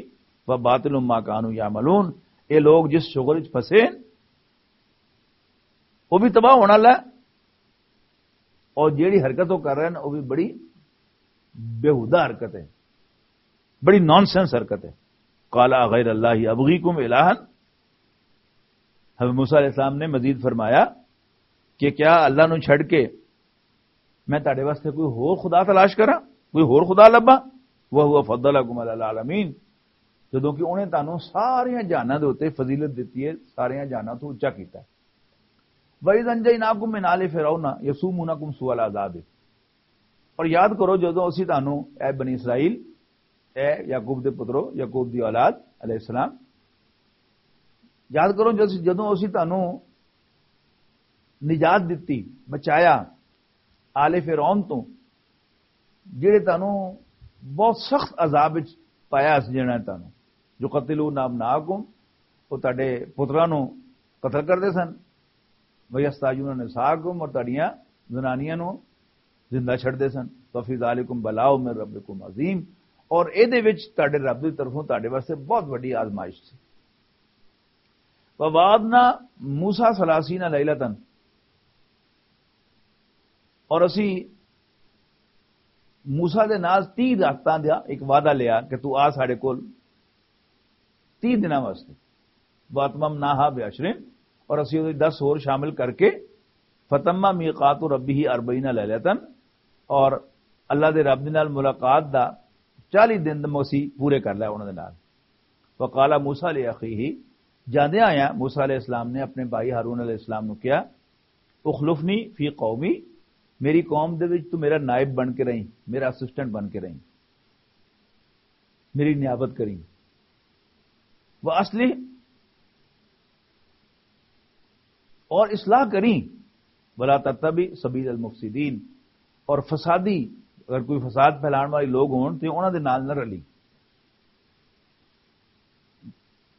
وباطل ما کانوا یعملون۔ یہ لوگ جس شغل وچ پھسے ہیں، وہ بھی تباہ ہونا ہے، اور جیڑی حرکت وہ کر رہے ہیں، وہ بھی بڑی بیہودہ حرکت ہے، بڑی نان سینس حرکت ہے۔ قال غیر اللہ ابغیکم الہا، حضرت موسیٰ علیہ السلام نے مزید فرمایا کہ کیا اللہ نو چھڈ کے میں تہاڈے واسطے کوئی ہور خدا تلاش کراں، کوئی ہور خدا لباں؟ وہو فضلکم علی العالمین، جدوں کہ انہیں تانوں ساریاں جہاناں دے اُتے فضیلت دتی ہے، ساریاں جہاناں تو اچا کیتا ہے۔ وَإِذْ أَنْجَيْنَاكُمْ مِنْ آلِ فِرْعَوْنَ يَسُومُونَكُمْ سُوءَ الْعَذَابِ، اور یاد کرو جدوں اسی تانوں، اے بنی اسرائیل، اے یعقوب دے پترو، یعقوب دی اولاد علیہ السلام، یاد کرو جس-، جدوں اسی تانوں نجات دتی، بچایا آل فرعون تو، جڑے تانوں بہت سخت عذاب وچ پایا اس جنہاں نے تانوں، جو قتلوا ابناءکم، وہ تہاڈے پتراں نوں قتل کردے سن، ویستحیون نساءکم، اور تہاڈیاں زنانیاں نوں زندہ چھڈدے سن۔ وفی ذالکم بلاء من ربکم عظیم، اور اے دے وچ تہاڈے رب دی طرفوں تہاڈے واسطے بہت وڈی آزمائش سی۔ ووعدنا موسیٰ ثلاثین لیلۃ، اور اسی موسیٰ دے نال تیہہ راتاں دا ایک وعدہ لیا کہ تو آ ساڈے کول تیہہ دناں واسطے۔ واتممناہا بعشرین، اور اسی اودے دس ہور شامل کر کے، فتم میقات ربہ اربعین لیلۃ، اور اللہ دے رب دے نال ملاقات دا چالیس دن دا اسی پورے کر لیا انہاں دے نال۔ وقال موسیٰ لأخیہ، جاندے آیا موسیٰ علیہ السلام نے اپنے بھائی ہارون علیہ السلام نو کہا، اخلفنی فی قومی، میری قوم دے وچ تو میرا نائب بن کے رہیں، میرا اسسٹنٹ بن کے رہیں، میری نیابت کریں، وہ اصلی اور اصلاح کریں، ولا تتبع سبیل المفسدین، اور فسادی، اگر کوئی فساد پھیلان والے لوگ ہون تے انہاں دے نال نہ رلی۔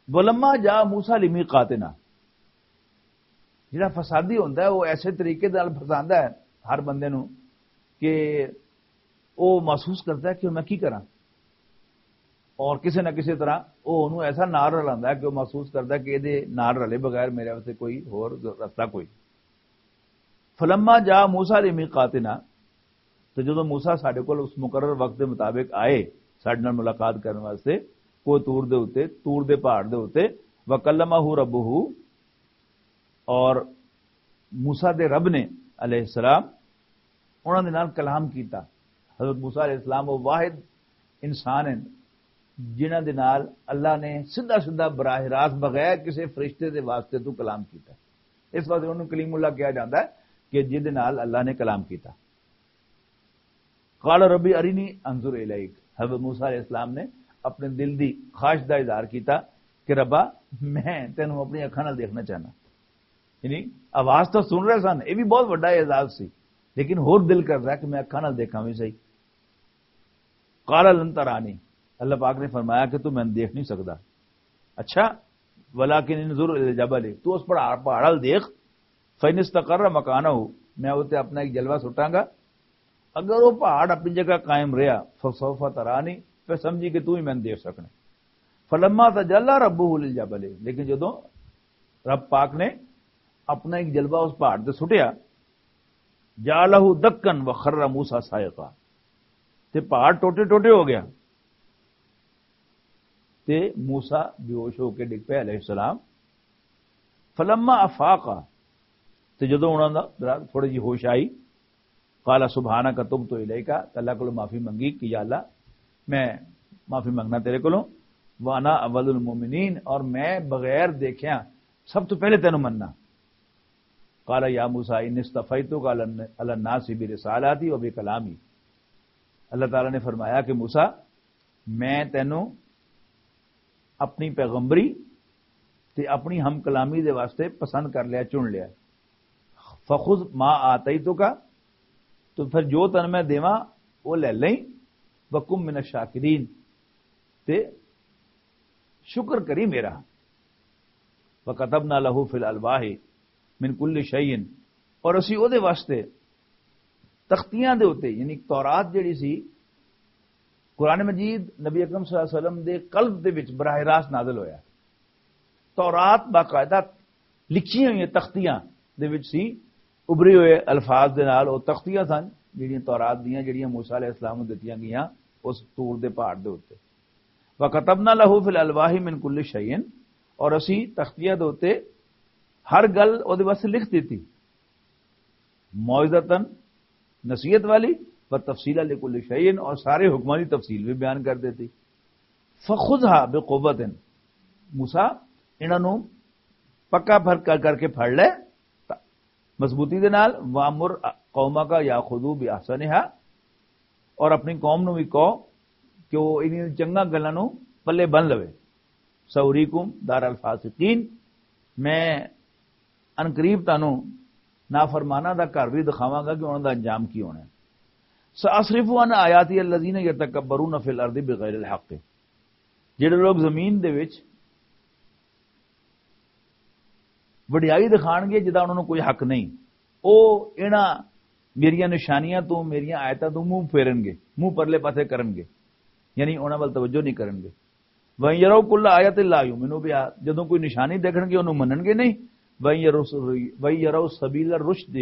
ولما جاء موسیٰ لمیقاتنا، جڑا فسادی ہوندا ہے، وہ ایسے طریقے نال فساندا ہے ہر بندے نوں کہ وہ محسوس کرتا ہے کہ میں کی کراں، اور کسی نہ کسی طرح وہ انہوں ایسا نال رلاندا ہے کہ وہ محسوس کرتا ہے کہ یہ نال رلے بغیر میرے واسطے کوئی ہور رستہ کوئی۔ فلما جاء موسیٰ لمیقاتنا، تو جدوں موسیٰ ساڈے کول اس مقرر وقت دے مطابق آئے، ساڈے نال ملاقات کرن واسطے، کوہ طور دے اُتے، طور دے پہاڑ دے اُتے، وکلمہ ربہ، اور موسیٰ دے رب نے علیہ السلام انہاں دے نال کلام کیتا۔ حضرت موسیٰ علیہ السلام وہ واحد انسان ہیں جنہاں دے نال اللہ نے سیدھا سیدھا براہ راست بغیر کسی فرشتے دے واسطے تو کلام کیتا۔ اس واسطے انہوں کلیم اللہ کہا جاتا ہے کہ جس دے نال اللہ نے کلام کیتا۔ قال ربی ارینی انظر الیک، حضرت موسیٰ علیہ السلام نے اپنے دل دی خواہش دا اظہار کیتا کہ ربا، میں تینوں اپنی اکھاں نال دیکھنا چاہنا۔ یعنی آواز تو سن رہے سن، یہ بھی بہت بڑا اعزاز سی، لیکن ہور دل کر رہا کہ میں اکھاں نال دیکھاں بھی صحیح۔ قال لن ترانی، اللہ پاک نے فرمایا کہ تو میں دیکھ نہیں سکتا۔ اچھا، ولیکن انظر الی الجبل، تو اس پہاڑ، پہاڑ وال دیکھ، فإن استقر مکانہ، میں اتنے اپنا ایک جلوہ سٹاں گا، اگر وہ پہاڑ اپنی جگہ قائم رہا، فسوف ترانی، پھر سمجھی کہ تو ہی میں دیکھ سکنا۔ فلما تجلی ربہ للجبل، لیکن جدوں رب پاک نے اپنا ایک جلوہ اس پہاڑ تے سٹیا، جعلہ دکا وخر موسیٰ صاعقا، تے پہاڑ ٹوٹے ٹوٹے ہو گیا تے موسیٰ بے ہوش ہو کے ڈگ پیا علیہ السلام۔ فلما افاق، تے جدوں انہاں دا ذرا تھوڑی جی ہوش آئی، قال سبحانک تبت الیک، تے اللہ کولوں معافی منگی کہ یا اللہ، میں معافی منگنا تیرے کولوں۔ وانا اول المؤمنین، اور میں بغیر دیکھیا سب تو پہلے تینوں مننا۔ قال یا موسیٰ انی اصطفیتک علی الن-، علی الناس برسالاتی و بکلامی۔ اللہ تعالیٰ نے فرمایا کہ موسیٰ، میں تینوں اپنی پیغمبری تے اپنی ہم کلامی دے واسطے پسند کر لیا، چن لیا۔ فخذ ما آتیتک، تو پھر جو تن میں دیواں، وہ لے لیں۔ وکم من الشاکرین، تے شکر کری میرا۔ وکتبنا لہ فی الالواح من کل شیء، اور اسی او دے واسطے تختیاں دے اُتے، یعنی تورات جڑی سی، قرآن مجید نبی اکرم صلی اللہ علیہ وسلم دے قلب دے وچ براہ راست نازل ہویا۔ تورات باقاعدہ لکھیاں ہوئیاں تختیاں دے وچ سی، ابھرے ہوئے الفاظ دے نال۔ او تختیاں سن جڑیاں تورات دیاں، جڑیاں موسیٰ علیہ السلام نوں دتیاں گئیاں اس طور دے پہاڑ دے اُتے۔ وَكَتَبْنَا لَهُ فِي الْأَلْوَاحِ مِنْ كُلِّ شَيْءٍ، اور اسی تختیاں دے اُتے ہر گل او دے واسطے لکھ دتی، موعظتاً، نصیحت والی، و تفصیلا لکل شیء، اور سارے حکماں دی تفصیل بھی بیان کر دیتی۔ فخذها بقوة، موسیٰ، انہاں نوں پکا پھر کر کر کے پھڑ لے، تا-، مضبوطی دے نال۔ وامر قومک یاخذوا باحسنها، اور اپنی قوم نوں بھی کہو کہ وہ انہاں چنگا گلاں نوں پلے بن لوے۔ سوریکم دار الفاسقین، میں عنقریب تانوں نافرماناں دا گھر بھی دکھاواں گا کہ انہاں دا انجام کی ہونا ہے۔ ساصرف عن آیاتی الذین یتکبرون فی الارض بغیر الحق، جڑے لوگ زمین دے وچ وڈیائی دکھان گے جدا انہاں نوں کوئی حق نہیں، او انہاں میریاں نشانیاں تو، میریاں آیتاں تو منہ پھیرن گے، منہ پرلے پاسے کرن گے، یعنی انہاں ول توجہ نہیں کرن گے۔ وَإِن يَرَوْا كُلَّ آيَةٍ لَا يُؤْمِنُوا بِهَا، جدوں کوئی نشانی دیکھن گے، انہوں منن گے نہیں۔ وَإِن يَرَوْا، وَإِن يَرَوْا سَبِيلَ الرُّشْدِ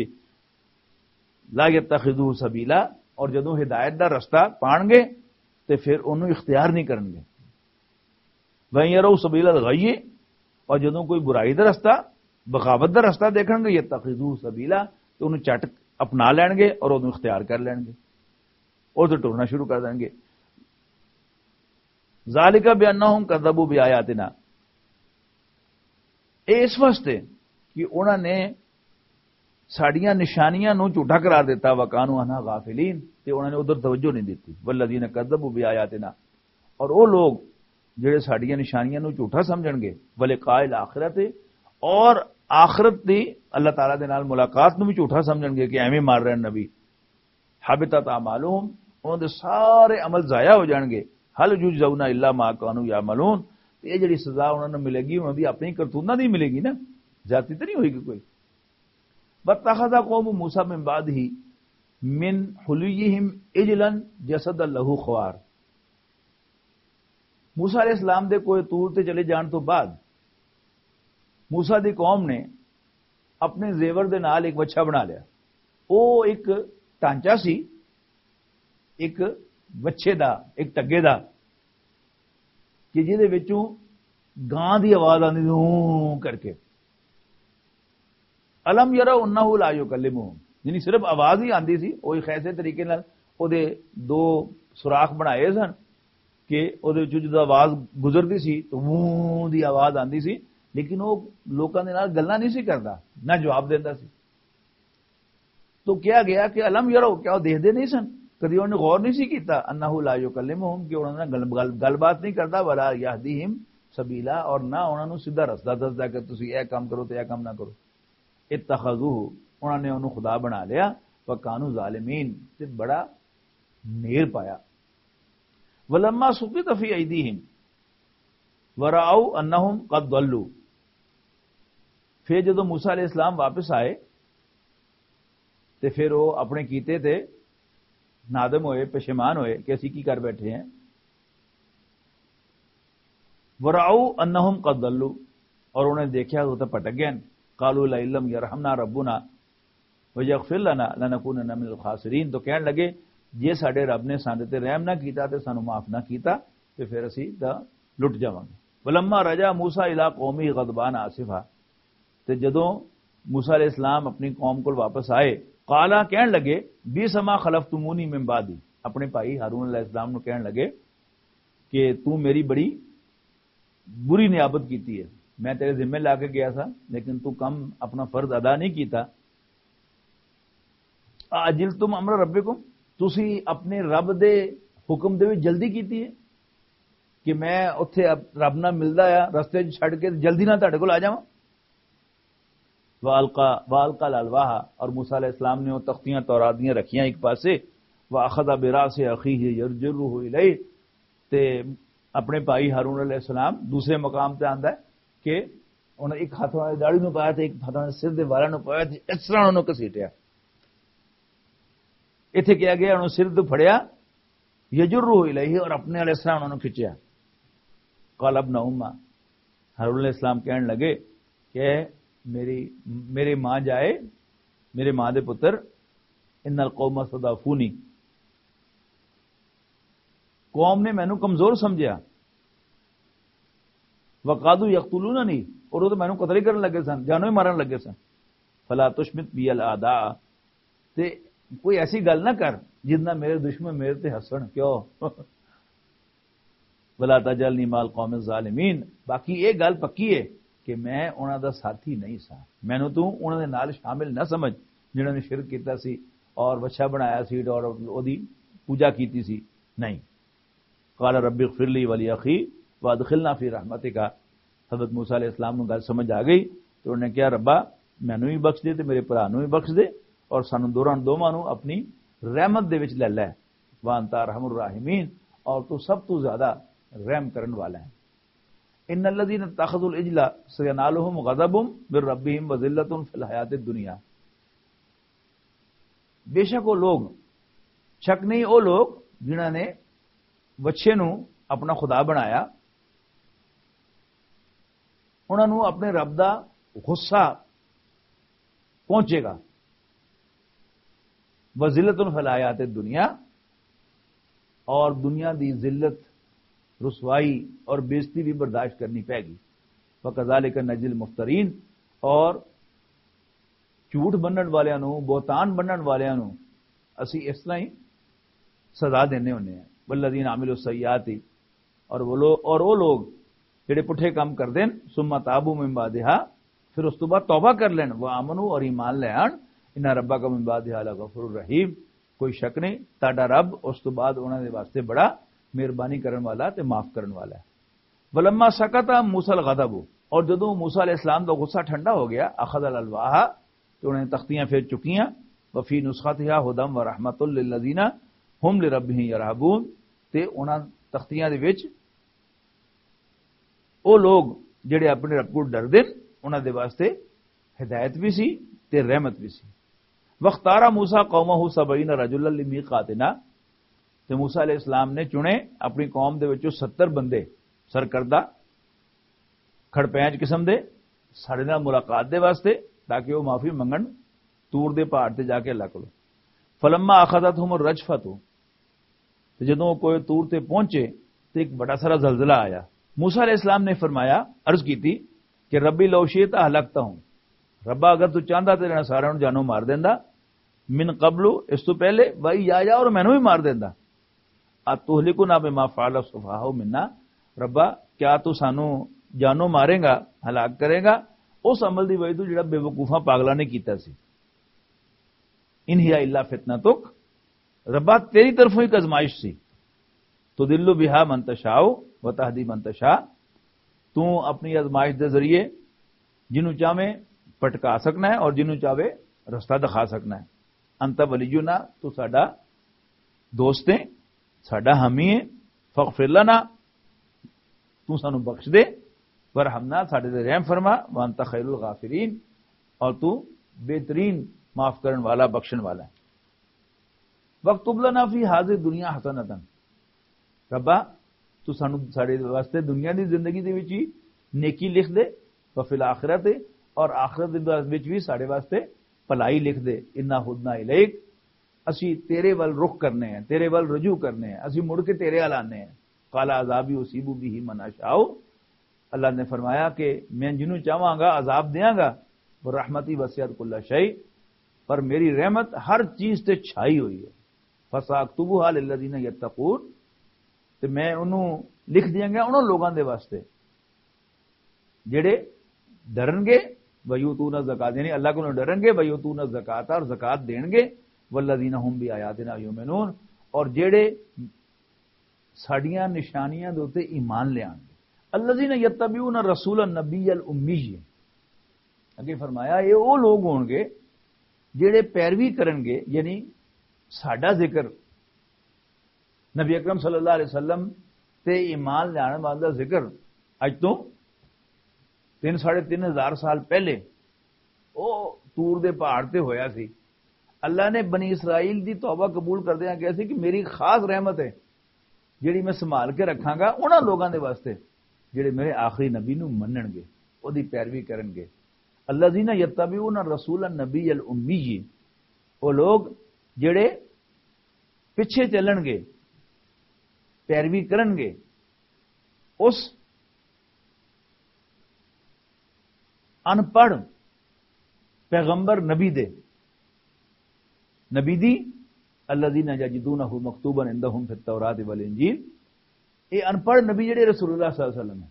لَا يَتَّخِذُوهُ سَبِيلًا، اور جدوں ہدایت دا رستہ پان گے تے پھر انہوں اختیار نہیں کرن گے۔ وَإِن يَرَوْا سَبِيلَ الْغَيِّ، اور جدوں کوئی برائی دا رستہ، بغاوت دا رستہ دیکھن گے، يَتَّخِذُوهُ سَبِيلًا، تو انہوں چٹ اپنا لین گے اور انہوں اختیار کر لین گے اور تو ٹرنا شروع کر دین گے۔ ذالک بانہم کذبوا بآیاتنا، اے اس واسطے کہ انہاں نے ساڈیاں نشانیاں نوں جھوٹا قرار دیتا، وکانوا عنہا غافلین، تے انہاں نے ادھر توجہ نہیں دتی۔ والذین کذبوا بآیاتنا، اور وہ لوگ جڑے ساڈیاں نشانیاں نوں جھوٹا سمجھن گے، ولقاء الآخرۃ، اور آخرت دی اللہ تعالیٰ دے نال ملاقات نوں بھی جھوٹا سمجھن گے کہ ایویں مار رہے ہیں نبی۔ حبطت اعمالہم، انہاں دے سارے عمل ضائع ہو جان گے۔ هل یجزون الا ما کانوا یعملون، تے یہ جڑی سزا انہاں نوں ملے گی، انہاں دی اپنی کرتوتاں دی ملے گی نا، ذاتی تے نہیں ہوئے گی کوئی۔ واتخذ قوم موسیٰ من بعدہ من حلیہم عجلا جسدا لہ خوار۔ موسیٰ علیہ السلام دے کوہ طور تے چلے جان تو بعد موسیٰ دی قوم نے اپنے زیور دے نال ایک وچھا بنا لیا۔ او ایک ڈھانچہ سی، ایک وچھے دا، ایک ٹگے دا، کہ جہدے وچوں گاں دی آواز آندی سی، ہوں کر کے۔ الم یروا انہ لا یکلمہم، یعنی صرف آواز ہی آندی سی۔ او ایک ایسے طریقے نال او دے دو سوراخ بنائے سن کہ او دے وچوں جدوں آواز گزردی سی تو ووں دی آواز آندی سی، لیکن او لوکاں دے نال گلاں نہیں سی کردا، نہ جواب دیندا سی۔ تو کہا گیا کہ الم یروا، کیا وہ دیکھدے نہیں سن؟ کدی انہوں نے غور نہیں سی کیتا؟ انہ لا یکلمہم، کہ انہوں نے گل، گل، گل بات نہیں کردا، ولا یہدیہم سبیلا، اور نہ انہوں نے سیدھا رستہ دسدا کہ تسی اے کام کرو تے اے کام نہ کرو۔ اتخذوہ، انہوں نے انہوں خدا بنا لیا، وکانوا ظالمین، تے بڑا نیر پایا۔ ولما سقط فی ایدیہم ورأوا انہم قد ضلوا، پھر جدوں موسیٰ علیہ السلام واپس آئے تے پھر وہ اپنے کیتے تے نادم ہوئے، پشیمان ہوئے کہ اسی کی کر بیٹھے ہیں۔ ورأوا انہم قد ضلوا، اور انہوں نے دیکھا وہ تو پٹک گئے۔ قالوا لئن لم یرحمنا ربنا ویغفر لنا لنکونن من الخاسرین، تو کہن لگے، جے ساڈے رب نے ساڈے تے رحم نہ کیتا تے سانو معاف نہ کیتا، تے پھر اسی تاں لٹ جاواں گے۔ ولما رجع موسیٰ الی قومہ غضبان آسفا، تے جدوں موسیٰ علیہ السلام اپنی قوم کول واپس آئے قالا، کہن لگے، "بیس ما خلفتمونی من بعدی"، اپنے بھائی ہارون علیہ السلام نو کہن لگے کہ "تو میری بڑی بری نیابت کیتی ہے، میں تیرے ذمے لا کے گیا تھا، لیکن تو کم اپنا فرض ادا نہیں کیتا۔ اعجلتم امر ربکم، تسی اپنے رب دے حکم دے وچ جلدی کیتی ہے کہ میں اتھے اب رب نال ملدا آ، رستے چ چھڈ کے جلدی نال تہاڈے کول آ جاواں۔" وَأَلْقَى، وَأَلْقَى الْأَلْوَاحَ، اور موسیٰ علیہ السلام نے وہ تختیاں تورات دیاں رکھیاں ایک پاسے، وَأَخَذَ بِرَأْسِ أَخِيهِ يَجُرُّهُ إِلَيْهِ، تے اپنے بھائی ہارون علیہ السلام دوسرے مقام تے آندا ہے کہ انہاں ایک ہاتھ انہاں دی داڑھی نوں پایا تے ایک ہاتھ انہاں دے سر دے والاں نوں پایا تے اس طرح انہاں نوں گھسیٹیا۔ ایتھے کیا گیا، انہاں سر تو پھڑیا، یجرہ الیہ، اور اپنے والے اس طرح انہاں نوں کھچیا۔ قال ابن امہ، ہارون علیہ السلام کہن لگے کہ میری، میرے ماں جائے، میرے ماں دے پتر، ان القوم استضعفونی، قوم نے مینوں کمزور سمجھیا، وقادو یقتلوننی، اور وہ تو مینوں قتل ہی کرن لگے سن، جانوں ہی مارن لگے سن۔ فلا تشمت بی الاعداء، تے کوئی ایسی گل نہ کر جس نال میرے دشمن میرے تے ہسن۔ کیوں؟ ولا تجعلنی مع القوم الظالمین۔ باقی یہ گل پکی ہے کہ میں انہاں دا ساتھی نہیں سا، مینوں تو انہاں دے نال شامل نہ سمجھ جنہاں نے شرک کیتا سی اور وچھا بنایا سی اور اودی پوجا کیتی سی۔ نہیں۔ قال رب اغفر لی ولی اخی وادخلنا فی رحمتک۔ حضرت موسیٰ علیہ السلام نوں گل سمجھ آ گئی، تو انہوں نے کہا، "ربا، مینوں بھی بخش دے تے میرے بھرا نوں بھی بخش دے، اور سانوں دوراں دوواں نوں اپنی رحمت دے وچ لے لے۔ وانت ارحم الراحمین، اور تو سب تو زیادہ رحم کرن والا ہے۔" ان الذین اتخذوا العجل سینالہم غضب من ربہم وذلۃ فی الحیات الدنیا۔ بے شک وہ لوگ، شک نہیں، وہ لوگ جنہاں نے وچھے نو اپنا خدا بنایا، انہاں نو اپنے رب دا غصہ پہنچے گا۔ وذلت فی الحیات الدنیا، اور دنیا دی ذلت، رسوائی اور بےعزتی بھی برداشت کرنی پے گی۔ وکذالک نجزی المفترین، اور جھوٹ بنن والیاں نو، بہتان بنن والیاں نو اسی اس طرح ہی سزا دینے ہونے ہیں۔ والذین عملوا السیئات، اور وہ لوگ، اور وہ لوگ جڑے پٹھے کام کردے ہیں، ثم تابوا من بعدها، پھر اس تو بعد توبہ کر لین، وآمنوا، اور ایمان لے آن، ان ربک من بعدها لغفور رحیم، کوئی شک نہیں، تہاڈا رب اس تو بعد انہاں دے واسطے بڑا مہربانی کرن والا تے معاف کرن والا ہے۔ ولما سکت موسی الغضب، اور جدوں موسی علیہ السلام دا غصہ ٹھنڈا ہو گیا، اخذ الالواح، تو انہوں نے تختیاں پھر چکیاں، وفی نسختها هدى ورحمة للذین هم لربهم يرهبون، تے انہاں تختیاں دے وچ او لوگ جڑے اپنے رب کو ڈردے نے، انہاں دے واسطے ہدایت بھی سی تے رحمت بھی سی۔ واختار موسی قومه سبعین رجلا لمیقاتنا، تے موسی علیہ السلام نے چنے اپنی قوم دے وچوں ستر بندے، سرکردہ، کھڑپینچ قسم دے، ساڈے نال ملاقات دے واسطے، تاکہ وہ معافی منگن، طور دے پہاڑ تے جا کے اللہ کولوں۔ فلما اخذتهم الرجفة، تے جدوں وہ کوہ طور تے پہنچے تے ایک بڑا سارا زلزلہ آیا۔ موسی علیہ السلام نے فرمایا، عرض کیتی کہ ربی لو شئت اہلکتہم، ربا اگر تو چاہندا تے انہاں سارے نوں جانوں مار دیندا، من قبل، اس تو پہلے، و ایایا، اور مینوں بھی مار دیندا۔ اتہلکنا بما فعل السفہاء منا، ربا کیا تو سانوں جانوں مارے گا، ہلاک کرے گا اس عمل دی وجہ تو جڑا بے وقوفاں پاگلاں نے کیتا سی؟ ان ہی الا فتنتک، ربا تیری طرفوں ایک آزمائش سی۔ تضل بها من تشاء و تهدی من تشاء، تو اپنی آزمائش دے ذریعے جنوں چاہے پٹکا سکنا ہے اور جنوں چاہے رستہ دکھا سکنا ہے۔ انت ولینا، تو ساڈا دوست ہے، ساڈا حامی ہے۔ فاغفر لنا، تو سانو بخش دے، ورحمنا، ساڈے تے رحم فرما، وانت خیر الغافرین، اور تو بہترین معاف کرن والا، بخشن والا ہے۔ واکتب لنا فی هذه الدنیا حسنۃ، ربا تو سانو ساڈے واسطے دنیا دی زندگی دے وچ ہی نیکی لکھ دے، وفی الاخرۃ، اور آخرت دے وچ بھی ساڈے واسطے بھلائی لکھ دے، انا ہدنا الیک، اسی تیرے ول رخ کرنے ہیں، تیرے ول رجوع کرنے ہیں، اسی مڑ کے تیرے ول آنے ہیں۔ قال عذابی اصیب به من اشاء، اللہ نے فرمایا کہ میں جنوں چاہواں گا عذاب دیاں گا، وہ رحمتی وسعت کل شیء، پر میری رحمت ہر چیز تے چھائی ہوئی ہے۔ فَسَأَكْتُبُهَا لِلَّذِينَ يَتَّقُونَ، تے میں انہوں لکھ دیاں گا انہوں لوگاں دے واسطے جڑے ڈرن گے، وَيُؤْتُونَ الزَّكَاةَ، یعنی اللہ کو ڈرن گے، وَيُؤْتُونَ الزَّكَاةَ، اور زکات دین گے، وَالَّذِينَ هُمْ بِآيَاتِنَا يُؤْمِنُونَ، اور جڑے ساڈیاں نشانیاں دے اُتے ایمان لے آن گے۔ الذین یتبعون رسول النبی الامی۔ اگے فرمایا، یہ وہ لوگ ہون گے جڑے پیروی کرن گے، یعنی ساڈا ذکر، نبی اکرم صلی اللہ علیہ وسلم تے ایمان لیان والے دا ذکر اج تو تین، ساڑھے تین ہزار سال پہلے او طور دے پہاڑ تے ہویا سی۔ اللہ نے بنی اسرائیل دی توبہ قبول کردیاں کہیا سی کہ میری خاص رحمت ہے جڑی میں سنبھال کے رکھاں گا انہاں لوگاں دے واسطے جڑے میرے آخری نبی نو منن گے، او دی پیروی کرن گے۔ الذین یتبعون الرسول النبی الامی، او لوگ جڑے پیچھے چلن گے، پیروی کرن گے اس ان پڑھ پیغمبر نبی دے، نبی دی، الذین یجدونہ مکتوبا عندہم فی التوراۃ والانجیل۔ اے ان پڑھ نبی جڑے رسول اللہ صلی اللہ علیہ وسلم ہے،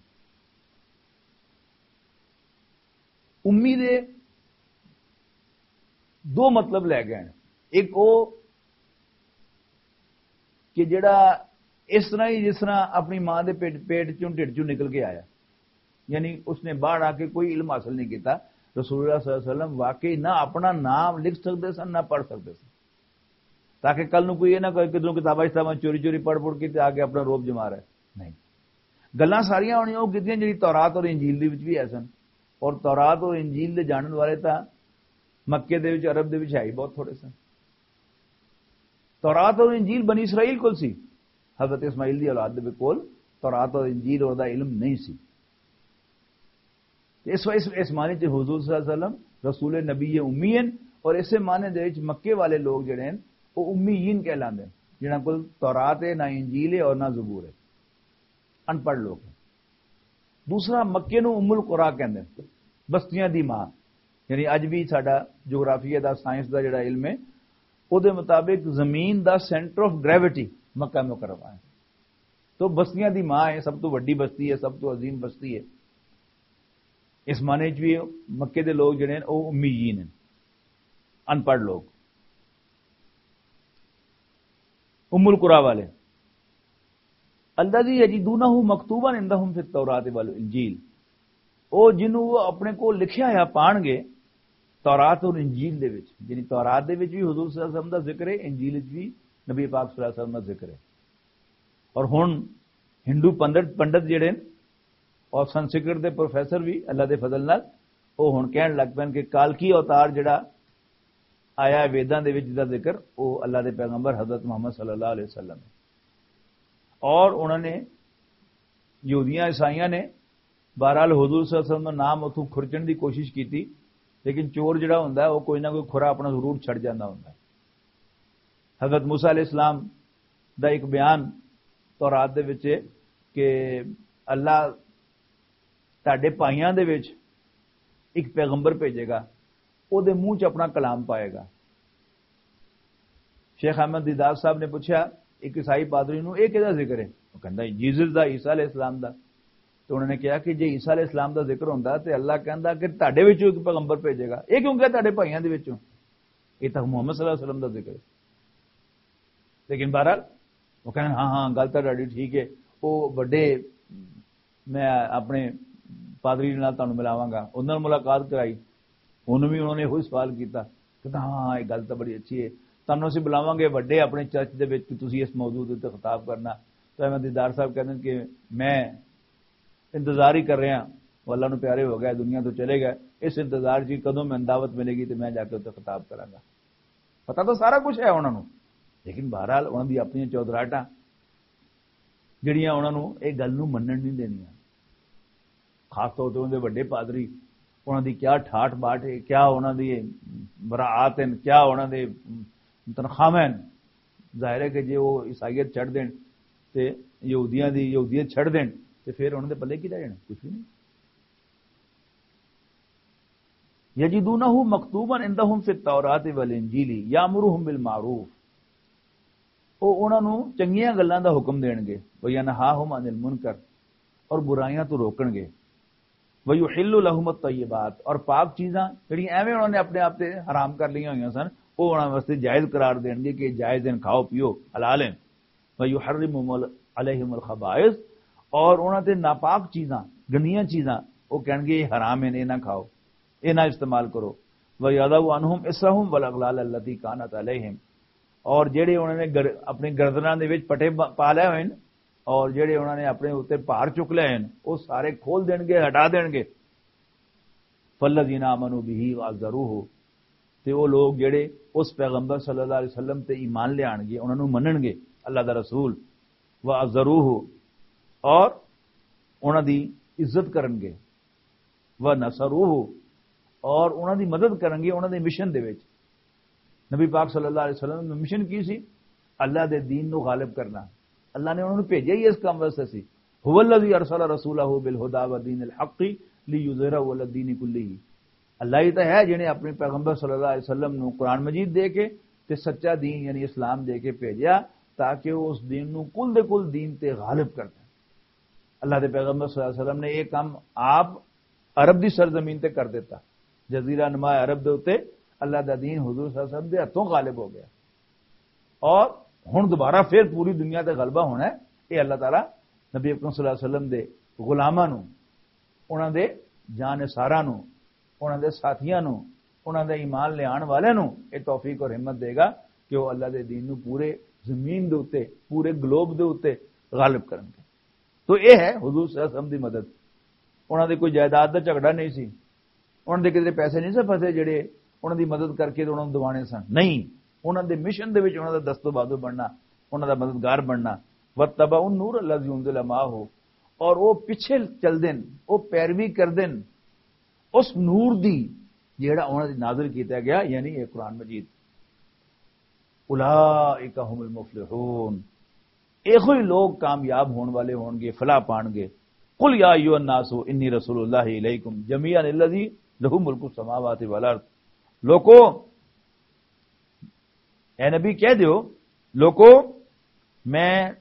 امی دے دو مطلب لے گئے ہیں۔ ایک او کہ جڑا اس طرح ہی جس طرح اپنی ماں دے پیٹ، پیٹ چوں، ڈھڈ چوں نکل کے آیا، یعنی اس نے باہر آ کے کوئی علم حاصل نہیں کیتا۔ رسول اللہ صلی اللہ علیہ وسلم واقعی نہ اپنا نام لکھ سکتے سن، نہ پڑھ سکتے سن، تاکہ کل نو کوئی یہ نہ کہے کہ تم کتاباں اس طرح چوری چوری پڑھ پڑھ کے تے آ کے اپنا روب جما رہا ہے۔ نہیں، گلاں ساریاں انہیں وہ کیتیاں جڑی تورات اور انجیل دے وچ بھی ہے سن، اور تورات اور انجیل دے جانن والے تاں مکے دے وچ، عرب دے وچ ہے ہی بہت تھوڑے سن۔ تورات اور انجیل بنی اسرائیل کول سی، حضرت اسماعیل دی اولاد دے کول تورات اور انجیل اور دا علم نہیں سی۔ اس، اس، اس معنی چ حضور صلی اللہ علیہ وسلم رسول نبی امی ہیں، اور اسے معنی دے وچ مکے والے لوگ جڑے ہیں وہ امیین کہلاندے ہیں، جنہاں کول تورات ہے، نہ انجیل ہے اور نہ زبور ہے، ان پڑھ لوگ ہیں۔ دوسرا، مکے نو ام القرا کہندے ہیں، بستیاں دی ماں۔ یعنی اج بھی ساڈا جغرافیہ دا، سائنس دا جڑا علم ہے، او دے مطابق زمین دا سینٹر آف گریویٹی مکہ مکرمہ ہے۔ تو بستیاں دی ماں ہے، سب تو وڈی بستی ہے، سب تو عظیم بستی ہے۔ اس معنی چ بھی مکے دے لوگ جڑے ہیں او امیین ہیں، ان پڑھ لوگ۔ ام القرا والے، الذی یجدونہ مکتوبا عندہم فی التوراۃ والانجیل، او جنوں وہ اپنے کو لکھیا ہوا پان گے تورات اور انجیل دے وچ۔ یعنی تورات دے وچ بھی حضور صلی اللہ علیہ وسلم دا ذکر ہے، انجیل وچ بھی نبی پاک صلی اللہ علیہ وسلم دا ذکر ہے۔ اور ہن ہندو پنڈت، پنڈت جڑے ہیں اور سنسکرت دے پروفیسر بھی اللہ دے فضل نال، وہ ہن کہن لگ پے کہ کالکی اوتار جڑا آیا ہے ویداں دے وچ، جس دا ذکر، وہ اللہ دے پیغمبر حضرت محمد صلی اللہ علیہ وسلم ہے۔ اور انہوں نے، یہودیاں عیسائیاں نے، بہرحال حضور صلی اللہ علیہ وسلم دا نام اتھوں کھرچن دی کوشش کیتی، لیکن چور جڑا ہوندا ہے وہ کوئی نہ کوئی کھرا اپنا ضرور چھڑ جاندا ہوندا ہے۔ حضرت موسیٰ علیہ السلام دا ایک بیان تورات دے وچ ہے کہ اللہ تہاڈے بھائیاں دے وچ ایک پیغمبر بھیجے گا، او دے منہ چ اپنا کلام پائے گا۔ شیخ احمد دیدار صاحب نے پوچھا ایک عیسائی پادری نو، "اے کہدا ذکر ہے؟" وہ کہندا، "جیزس دا، عیسیٰ علیہ السلام دا۔" تو انہوں نے کہا کہ جے عیسیٰ علیہ السلام دا ذکر ہوندا تے اللہ کہندا کہ تہاڈے وچوں ایک پیغمبر بھیجے گا، اے کیوں کہا تہاڈے بھائیاں دے وچوں؟ اے تاں محمد صلی اللہ علیہ وسلم دا ذکر ہے۔ لیکن بہرحال وہ کہن، "ہاں، ہاں، گل تاں تہاڈی ٹھیک ہے۔" وہ وڈے، میں اپنے پادری نال تانوں ملاواں گا، انہاں نال ملاقات کرائی، انہوں بھی، انہوں نے وہی سوال کیتا کہ، "ہاں، ہاں، یہ گل تاں بڑی اچھی ہے، تانوں اسی بلاواں گے وڈے اپنے چرچ دے وچ کہ تسی اس موضوع دے اُتے خطاب کرنا۔" تو احمد دیدار صاحب کہندے کہ میں انتظار ہی کر رہا ہاں، وہ اللہ نو پیارے ہو گئے، دنیا تو چلے گئے، اس انتظار چ کدوں میں دعوت ملے گی تو میں جا کے اُتے خطاب کراں گا۔ پتہ تو سارا کچھ ہے انہاں نوں، لیکن بہرحال انہاں دی اپنی چودراہٹاں جڑیاں انہاں نوں اے گل نوں منن نہیں دینیاں۔ خاص طور تے انہاں دے وڈے پادری، انہاں دی کیا ٹھاٹ باٹ ہے، کیا انہاں دی مراعات ہیں، کیا انہاں دے تنخواہ ہیں۔ ظاہر ہے کہ جے وہ عیسائیت چھڈ دین تے یہودیاں دی یہودیت چھڈ دین تے پھر انہاں دے پلے کی رہ جانا؟ کچھ بھی نہیں۔ یجدونہ مکتوبا عندہم فی التوراۃ والانجیل یامرہم بالمعروف، وہ انہاں نوں چنگیاں گلاں دا حکم دین گے، وینہاہم عن المنکر، اور برائیاں تو روکن گے، ویحل لہم الطیبات، اور پاک چیزاں جڑیاں ایویں انہاں نے اپنے آپ تے حرام کر لئیاں ہوئیاں سن، وہ انہاں واسطے جائز قرار دین گے کہ جائز ہیں، کھاؤ پیو، حلال ہیں۔ وَيُحَرِّمُ عَلَيْهِمُ الْخَبَائِثَ، اور انہاں تے ناپاک چیزاں، گندیاں چیزاں، وہ کہن گے، "یہ حرام ہیں، یہ نہ کھاؤ، یہ نہ استعمال کرو۔" وَيَضَعُ عَنْهُمْ إِصْرَهُمْ وَالْأَغْلَالَ الَّتِي كَانَتْ عَلَيْهِمْ، اور جڑے انہاں نے گر-، اپنے گردناں دے وچ پٹے ب-، پا لے ہوئے ہیں، اور جڑے انہاں نے اپنے اوتے بھار چک لے ہیں، وہ سارے کھول دین گے، ہٹا دین گے۔ فالذین آمنوا بہ وعزروہ، تے او لوگ جڑے اس پیغمبر صلی اللہ علیہ وسلم تے ایمان لے آن گے، انہاں نوں منن گے، اللہ دا رسول، وعزروہ، اور انہاں دی عزت کرن گے، ونصروہ، اور انہاں دی مدد کرن گے انہاں دے مشن دے وچ۔ نبی پاک صلی اللہ علیہ وسلم دا مشن کی سی؟ اللہ دے دین نو غالب کرنا۔ اللہ نے انہاں نوں بھیجیا ہی اس کام واسطے سی۔ هو الذی ارسل رسولہ بالہدی ودین الحق لیظہرہ علی الدین کلہ۔ اللہ ہی تو ہے جنہیں اپنے پیغمبر صلی اللہ علیہ وسلم نو قرآن مجید دے کے تے سچا دین یعنی اسلام دے کے بھیجیا، تاکہ وہ اس دین نو کل دے کل دین تے غالب کر دے۔ اللہ دے پیغمبر صلی اللہ علیہ وسلم نے یہ کام آپ عرب دی سرزمین تے کر دیتا۔ جزیرہ نما عرب دے اُتے اللہ دا دین حضور صلی اللہ علیہ وسلم دے ہتھوں غالب ہو گیا۔ اور ہن دوبارہ پھر پوری دنیا تے غلبہ ہونا ہے۔ یہ اللہ تعالیٰ نبی اکرم صلی اللہ علیہ وسلم دے غلاماں نوں، انہاں دے جانثاراں نوں، انہاں دے ساتھیاں نوں، انہاں دے ایمان لے آن والے نوں یہ توفیق اور ہمت دے گا کہ وہ اللہ دے دین نوں پورے زمین دے اُتے، پورے گلوب دے اُتے غالب کرن گے۔ تو یہ ہے حضور صلی اللہ علیہ وسلم دی مدد۔ انہاں دے کوئی جائیداد دا جھگڑا نہیں سی، انہاں دے کدے پیسے نہیں سے پھسے جڑے انہاں دی مدد کر کے تے انہاں نوں دوانے سن، نہیں، انہاں دے مشن دے وچ انہاں دا دست و بازو بننا، انہاں دا مددگار بننا۔ واتبعوا النور الذی انزل معه، اور وہ پیچھے چل دین، وہ پیروی کر دین اس نور دی جیڑا انہاں دی نازل کیتا گیا، یعنی یہ قرآن مجید۔ اولئک هم المفلحون، ایہو ہی لوگ کامیاب ہون والے ہون گے، فلاح پان گے۔ قل یا ایھا الناس انی رسول اللہ الیکم جمیعا الذی لہ ملک السماوات والارض۔ لوکو، اے نبی کہہ دیو، لوکو، میں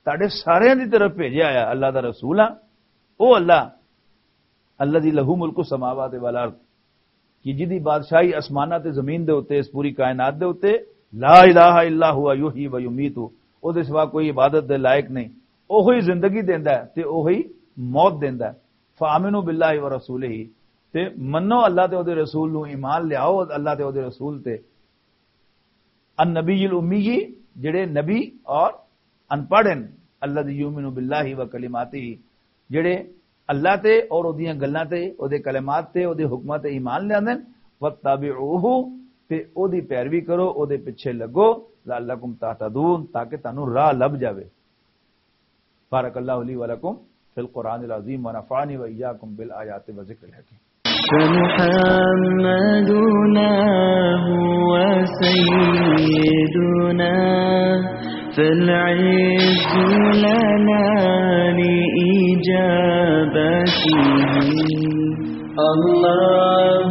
تہاڈے سارے دی طرف بھیجیا آیا اللہ دا رسول ہاں۔ او اللہ، الذی لہ ملک السماوات والارض، کہ جدی بادشاہی آسماناں تے زمین دے اُتے، اس پوری کائنات دے اُتے، لا الہ الا ہوا یحیی و یمیت، او دے سوا کوئی عبادت دے لائق نہیں۔ اوہی زندگی دیندا ہے تے اوہی موت دیندا ہے۔ فآمنوا باللہ ورسولہ، تے منو اللہ تے او دے رسول نو، ایمان لیاؤ اللہ تے او دے رسول تے۔ النبی الامی، جڑے نبی اور ان پڑھ ہیں، الذی یؤمن باللہ و کلماتہ، جڑے اللہ تے اور اودیاں گلاں تے، اودے کلمات تے، اودے حکماں تے ایمان لیاندے نے۔ واتبعوہ، تے اودی پیروی کرو، اودے پیچھے لگو۔ لعلکم تہتدون، تاکہ تانوں راہ لب جاوے۔ بارک اللہ لی و لکم فی القرآن العظیم و نفعنی و ایاکم بالآیات و ذکر الحکیم۔ فمحمدنا هو سيدنا، فالعز لنا لإجابته. الله